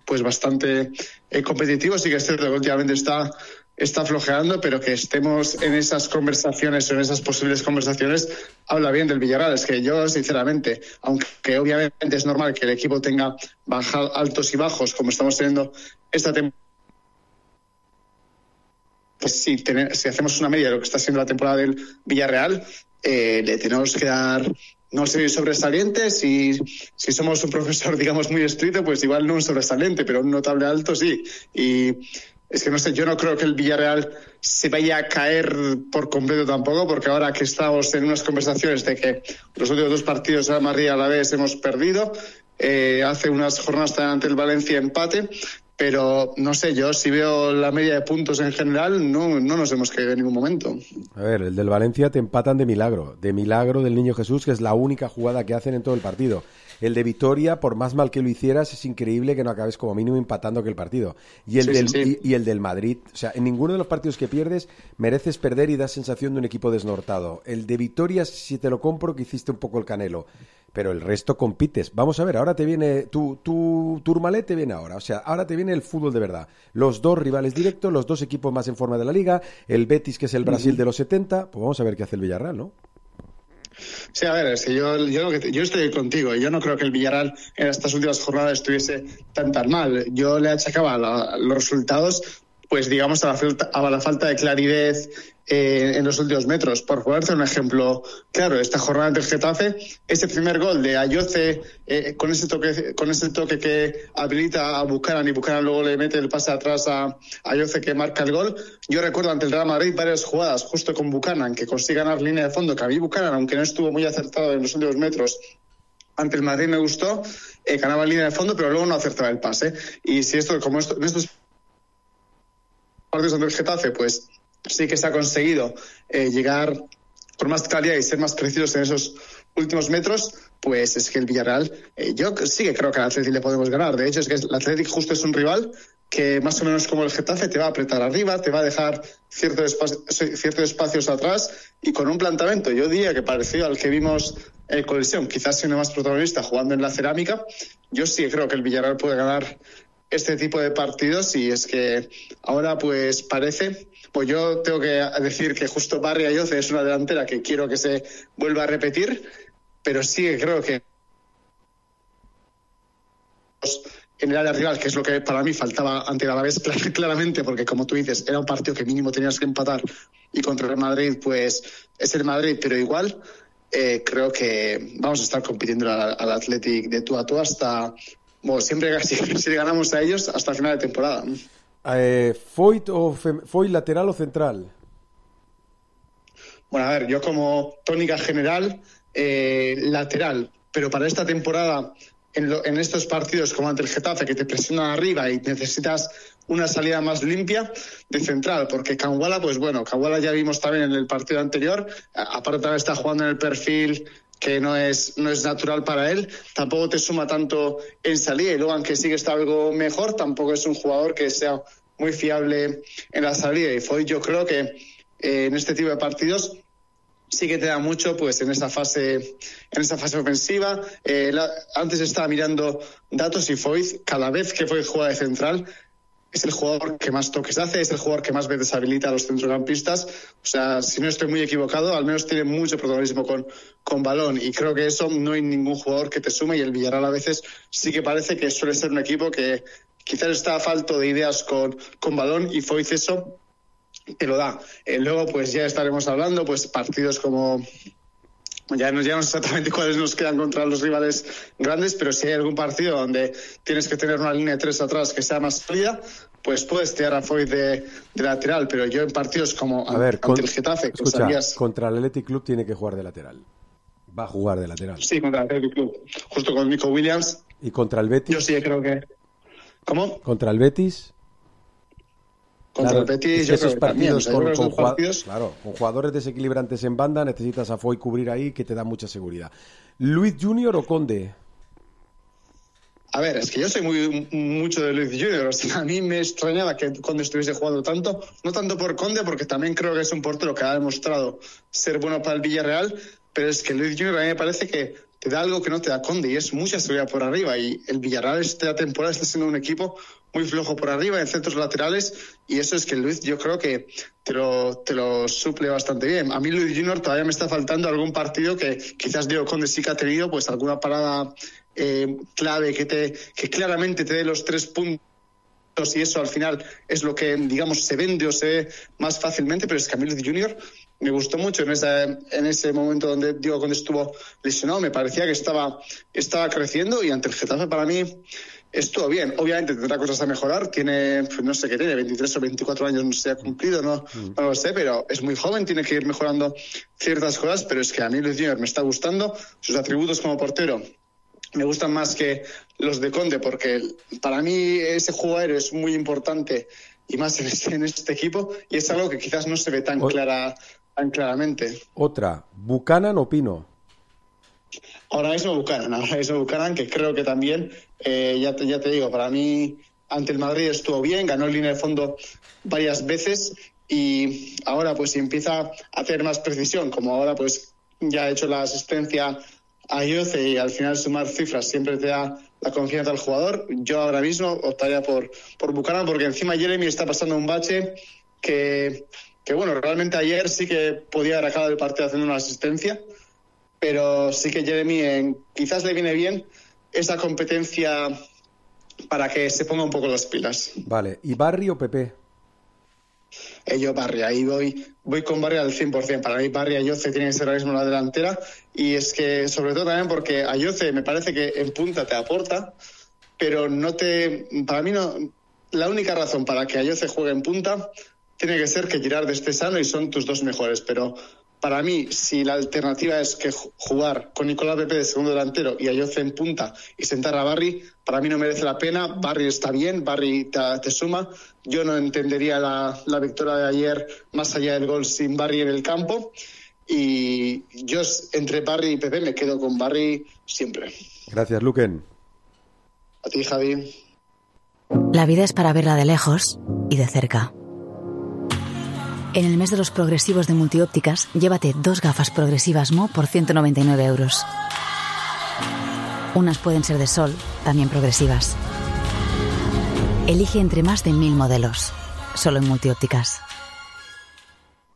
pues bastante eh, competitivo, sí que es cierto que últimamente está, está flojeando, pero que estemos en esas conversaciones o en esas posibles conversaciones habla bien del Villarreal. Es que yo, sinceramente, aunque obviamente es normal que el equipo tenga baja, altos y bajos como estamos teniendo esta temporada, pues si, tener, si hacemos una media de lo que está siendo la temporada del Villarreal, eh, le tenemos que dar, no sé, sobresalientes, y si somos un profesor, digamos, muy estricto, pues igual no un sobresaliente, pero un notable alto sí. Y es que no sé, yo no creo que el Villarreal se vaya a caer por completo tampoco, porque ahora que estamos en unas conversaciones de que los últimos dos partidos de Madrid a la vez hemos perdido, eh, hace unas jornadas ante el Valencia empate, pero no sé, yo si veo la media de puntos en general, no, no nos hemos caído en ningún momento. A ver, el del Valencia te empatan de milagro, de milagro del Niño Jesús, que es la única jugada que hacen en todo el partido. El de Vitoria, por más mal que lo hicieras, es increíble que no acabes como mínimo empatando aquel partido. Y el, sí, del, sí, sí. Y, y el del Madrid, o sea, en ninguno de los partidos que pierdes mereces perder y das sensación de un equipo desnortado. El de Vitoria, si te lo compro, que hiciste un poco el Canelo, pero el resto compites. Vamos a ver, ahora te viene tu, tu Tourmalet, te viene ahora, o sea, ahora te viene el fútbol de verdad. Los dos rivales directos, los dos equipos más en forma de la liga, el Betis, que es el Brasil uh-huh. de los setenta, pues vamos a ver qué hace el Villarreal, ¿no? Sí, a ver, es que yo, yo, yo estoy contigo. Yo no creo que el Villarreal en estas últimas jornadas estuviese tan tan mal. Yo le achacaba la, los resultados, pues digamos, a la, falta, a la falta de claridad eh, en los últimos metros. Por ponerte un ejemplo claro, esta jornada ante el Getafe, ese primer gol de Ayoce eh, con ese toque con ese toque que habilita a Buchanan y Buchanan luego le mete el pase atrás a Ayoce que marca el gol. Yo recuerdo ante el Real Madrid varias jugadas justo con Buchanan que consigue ganar línea de fondo, que a mí Buchanan, aunque no estuvo muy acertado en los últimos metros, ante el Madrid me gustó, eh, ganaba en línea de fondo, pero luego no acertaba el pase. Y si esto, como esto, en estos partidos ante el Getafe, pues sí que se ha conseguido eh, llegar con más calidad y ser más precisos en esos últimos metros, pues es que el Villarreal, eh, yo sí que creo que al Athletic le podemos ganar. De hecho, es que el Athletic justo es un rival que más o menos como el Getafe te va a apretar arriba, te va a dejar ciertos espacios, ciertos espacios atrás y con un planteamiento, yo diría que parecido al que vimos en Colisión, quizás siendo más protagonista jugando en la cerámica. Yo sí creo que el Villarreal puede ganar este tipo de partidos y es que ahora pues parece, pues yo tengo que decir que justo Barry Ayoce es una delantera que quiero que se vuelva a repetir, pero sí que creo que en el área rival, que es lo que para mí faltaba ante el Alavés claramente, porque como tú dices, era un partido que mínimo tenías que empatar y contra el Madrid pues es el Madrid, pero igual eh, creo que vamos a estar compitiendo al, al Athletic de tú a tú hasta, bueno, siempre si, si le ganamos a ellos hasta el final de temporada. Eh, Foyt, o Fem- Foyt lateral o central? Bueno, a ver, yo como tónica general, eh, lateral, pero para esta temporada En, lo, en estos partidos como ante el Getafe, que te presionan arriba y necesitas una salida más limpia, de central, porque Kangwala, pues bueno, Kangwala ya vimos también en el partido anterior, aparte también está jugando en el perfil que no es, no es natural para él, tampoco te suma tanto en salida y luego aunque sí que está algo mejor, tampoco es un jugador que sea muy fiable en la salida y Foyt yo creo que eh, en este tipo de partidos sí que te da mucho pues en esa fase en esa fase ofensiva. Eh, la, antes estaba mirando datos y Foyt, cada vez que Foyt juega de central, es el jugador que más toques hace, es el jugador que más veces habilita a los centrocampistas. O sea, si no estoy muy equivocado, al menos tiene mucho protagonismo con, con balón y creo que eso no hay ningún jugador que te sume y el Villarreal a veces sí que parece que suele ser un equipo que quizás está a falto de ideas con, con balón y Foyt eso te lo da. Eh, luego pues ya estaremos hablando pues partidos como ya no, ya no sé exactamente cuáles nos quedan contra los rivales grandes, pero si hay algún partido donde tienes que tener una línea de tres atrás que sea más sólida, pues puedes tirar a Foyt de, de lateral, pero yo en partidos como a ver, ante con, el Getafe que escucha, sabías... contra el Athletic Club tiene que jugar de lateral, va a jugar de lateral. Sí, contra el Athletic Club, justo con Nico Williams. ¿Y contra el Betis? Yo sí creo que... ¿Cómo? ¿Contra el Betis? Contra claro, el Betis, es yo esos creo partidos, que también, con, o sea, con, partidos... claro, con jugadores desequilibrantes en banda necesitas a Foyt cubrir ahí que te da mucha seguridad. ¿Luis Junior o Conde? A ver, es que yo soy muy mucho de Luis Junior. O sea, a mí me extrañaba que Conde estuviese jugando tanto, no tanto por Conde, porque también creo que es un portero que ha demostrado ser bueno para el Villarreal, pero es que Luis Junior a mí me parece que te da algo que no te da Conde y es mucha seguridad por arriba y el Villarreal esta temporada está siendo un equipo muy flojo por arriba en centros laterales y eso es que Luis yo creo que te lo, te lo suple bastante bien. A mí Luis Junior todavía me está faltando algún partido que quizás Diego Conde sí que ha tenido, pues alguna parada eh, clave que te que claramente te dé los tres puntos y eso al final es lo que digamos se vende o se ve más fácilmente, pero es que a mí Luis Junior me gustó mucho en ese, en ese momento donde Diego Conde estuvo lesionado, me parecía que estaba, estaba creciendo y ante el Getafe para mí estuvo bien. Obviamente tendrá cosas a mejorar, tiene, pues no sé qué tiene, veintitrés o veinticuatro años, no se ha cumplido, no, mm. no lo sé, pero es muy joven, tiene que ir mejorando ciertas cosas, pero es que a mí Luis Junior me está gustando, sus atributos como portero me gustan más que los de Conde, porque para mí ese juego aéreo es muy importante y más en este, en este equipo y es algo que quizás no se ve tan, clara, tan claramente. Otra, ¿Buchanan o Pino? Ahora mismo Buchanan, ahora mismo Buchanan, que creo que también, eh, ya, te, ya te digo, para mí ante el Madrid estuvo bien, ganó en línea de fondo varias veces y ahora pues si empieza a tener más precisión, como ahora pues ya ha hecho la asistencia a Ayoce y al final sumar cifras siempre te da la confianza al jugador. Yo ahora mismo optaría por, por Buchanan porque encima Jeremy está pasando un bache que, que bueno, realmente ayer sí que podía haber acabado el partido haciendo una asistencia, pero sí que Jeremy en, quizás le viene bien esa competencia para que se ponga un poco las pilas. Vale, ¿y Barry o Pepe? eh, yo Barry, ahí voy voy con Barry al cien por ciento. Para mí Barry Ayoce tiene que ser ahora mismo la delantera, y es que sobre todo también porque Ayoce me parece que en punta te aporta, pero no te, para mí no, la única razón para que Ayoce juegue en punta tiene que ser que Girard esté sano y son tus dos mejores, pero para mí, si la alternativa es que jugar con Nicolás Pepe de segundo delantero y Ayoce en punta y sentar a Barry, para mí no merece la pena. Barry está bien, Barry te, te suma. Yo no entendería la, la victoria de ayer más allá del gol sin Barry en el campo. Y yo entre Barry y Pepe me quedo con Barry siempre. Gracias, Luquen. A ti, Javi. La vida es para verla de lejos y de cerca. En el mes de los progresivos de Multiópticas, llévate dos gafas progresivas Mo por ciento noventa y nueve euros. Unas pueden ser de sol, también progresivas. Elige entre más de mil modelos, solo en Multiópticas.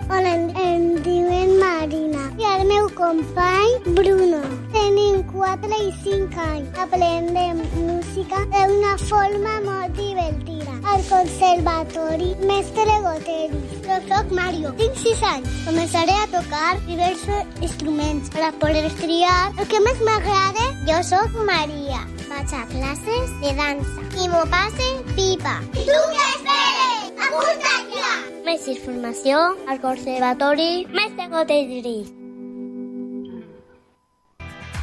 Hola, em diuen Marina i el meu company Bruno. Tenim quatre i cinc anys. Aprendem música d'una forma molt divertida. Al conservatori Mestre Goteri. Jo soc Mario, tinc sis anys. Començaré a tocar diversos instruments per a poder triar el que més m'agrada. Jo soc Maria. Vaig a classes de dansa i m'ho passe pipa. I tu què esperes? Apunta't ja! Més informació al Conservatori Mestre Goteri.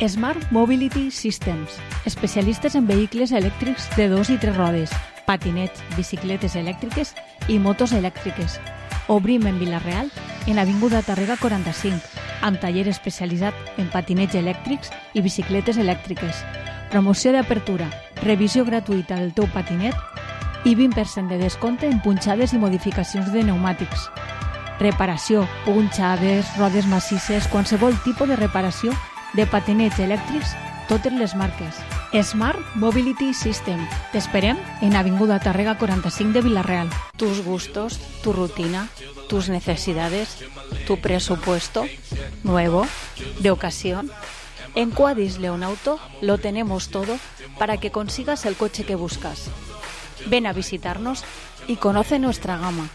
Smart Mobility Systems, especialistes en vehicles elèctrics de dos i tres rodes, patinets, bicicletes elèctriques i motos elèctriques. Obrim en Vila-real, en Avinguda Tàrrega quaranta-cinc, amb taller especialitzat en patinets elèctrics i bicicletes elèctriques. Promoció d'apertura, revisió gratuïta del teu patinet i vint per cent de descompte en punxades i modificacions de pneumàtics. Reparació, punxades, rodes massisses, qualsevol tipus de reparació de patinets elèctrics, totes les marques. Smart Mobility System. T'esperem en Avinguda Tàrrega quaranta-cinc de Vila-real. Tus gustos, tu rutina, tus necesidades, tu presupuesto, nuevo, de ocasión. En Quadis León Auto lo tenemos todo para que consigas el coche que buscas. Ven a visitarnos y conoce nuestra gama.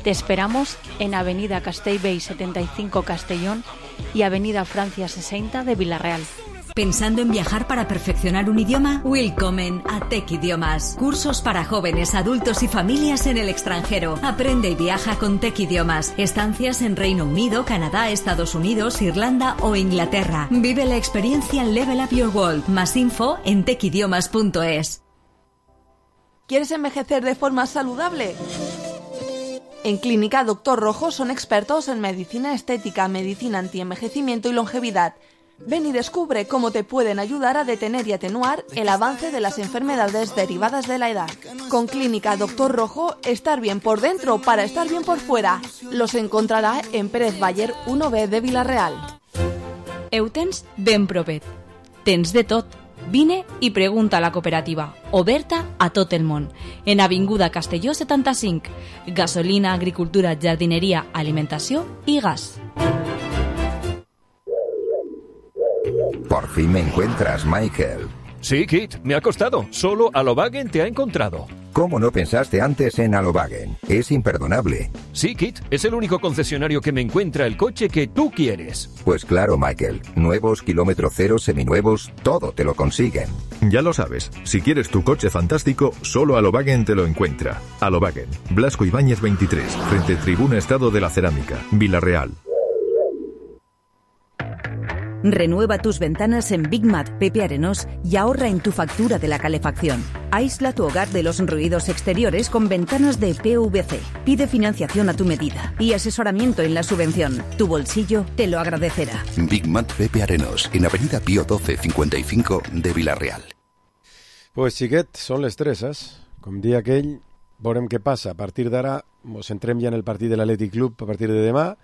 Te esperamos en Avenida Castellbell setenta y cinco Castellón y Avenida Francia sesenta de Vila-real. ¿Pensando en viajar para perfeccionar un idioma? Willkommen a Tech Idiomas. Cursos para jóvenes, adultos y familias en el extranjero. Aprende y viaja con Tech Idiomas. Estancias en Reino Unido, Canadá, Estados Unidos, Irlanda o Inglaterra. Vive la experiencia en Level Up Your World. Más info en tech idiomas punto es. ¿Quieres envejecer de forma saludable? En Clínica Doctor Rojo son expertos en medicina estética, medicina antienvejecimiento y longevidad. Ven y descubre cómo te pueden ayudar a detener y atenuar el avance de las enfermedades derivadas de la edad. Con Clínica Doctor Rojo, estar bien por dentro para estar bien por fuera. Los encontrará en Pérez Baller uno B de Vila-real. Eu tens ben propet. Tens de tot. Vine i pregunta a la cooperativa, oberta a tot el món, en Avinguda Castelló setanta-cinc. Gasolina, agricultura, jardineria, alimentació i gas. Por fin me encuentras, Michael. Sí, Kit, me ha costado. Solo Alovagen te ha encontrado. ¿Cómo no pensaste antes en Alovagen? Es imperdonable. Sí, Kit, es el único concesionario que me encuentra el coche que tú quieres. Pues claro, Michael. Nuevos, kilómetro cero, seminuevos, todo te lo consiguen. Ya lo sabes, si quieres tu coche fantástico, solo Alovagen te lo encuentra. Alovagen, Blasco Ibáñez veintitrés, frente Tribuna Estado de la Cerámica, Vila-real. Renueva tus ventanas en Big Mat Pepe Arenós y ahorra en tu factura de la calefacción. Aísla tu hogar de los ruidos exteriores con ventanas de P V C. Pide financiación a tu medida y asesoramiento en la subvención. Tu bolsillo te lo agradecerá. Big Mat Pepe Arenós, en Avenida Pío doce cincuenta y cinco de Vila-real. Pues xiquet, són les tres, saps? Com dia aquell, veurem què passa. A partir d'ara, ens entrem ja en el partit de l'Atlètic Club a partir de demà.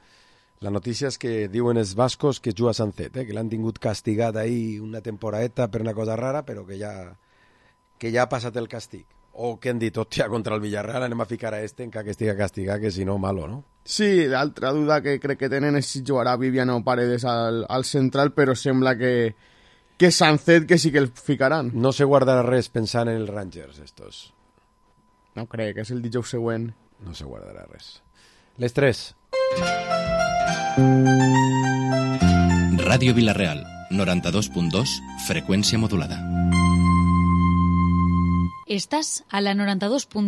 La notícia és que diuen els bascos que juga Sancet, eh? que l'han tingut castigat ahir una temporadeta per una cosa rara, però que ja, que ja ha passat el castig. O que han dit, hòstia, contra el Villarreal anem a ficar a este encara que estiga castigat, que si no, malo, no? Sí, l'altra duda que crec que tenen és si jugarà Viviano Paredes al, al central, però sembla que, que Sancet que sí que el ficaran. No se guardarà res pensant en els Rangers, estos. No crec, és el dijous següent. No se guardarà res. Les tres. Ràdio Vila-real, noranta-dos punt dos, freqüència modulada. Estàs a la noranta-dos punt dos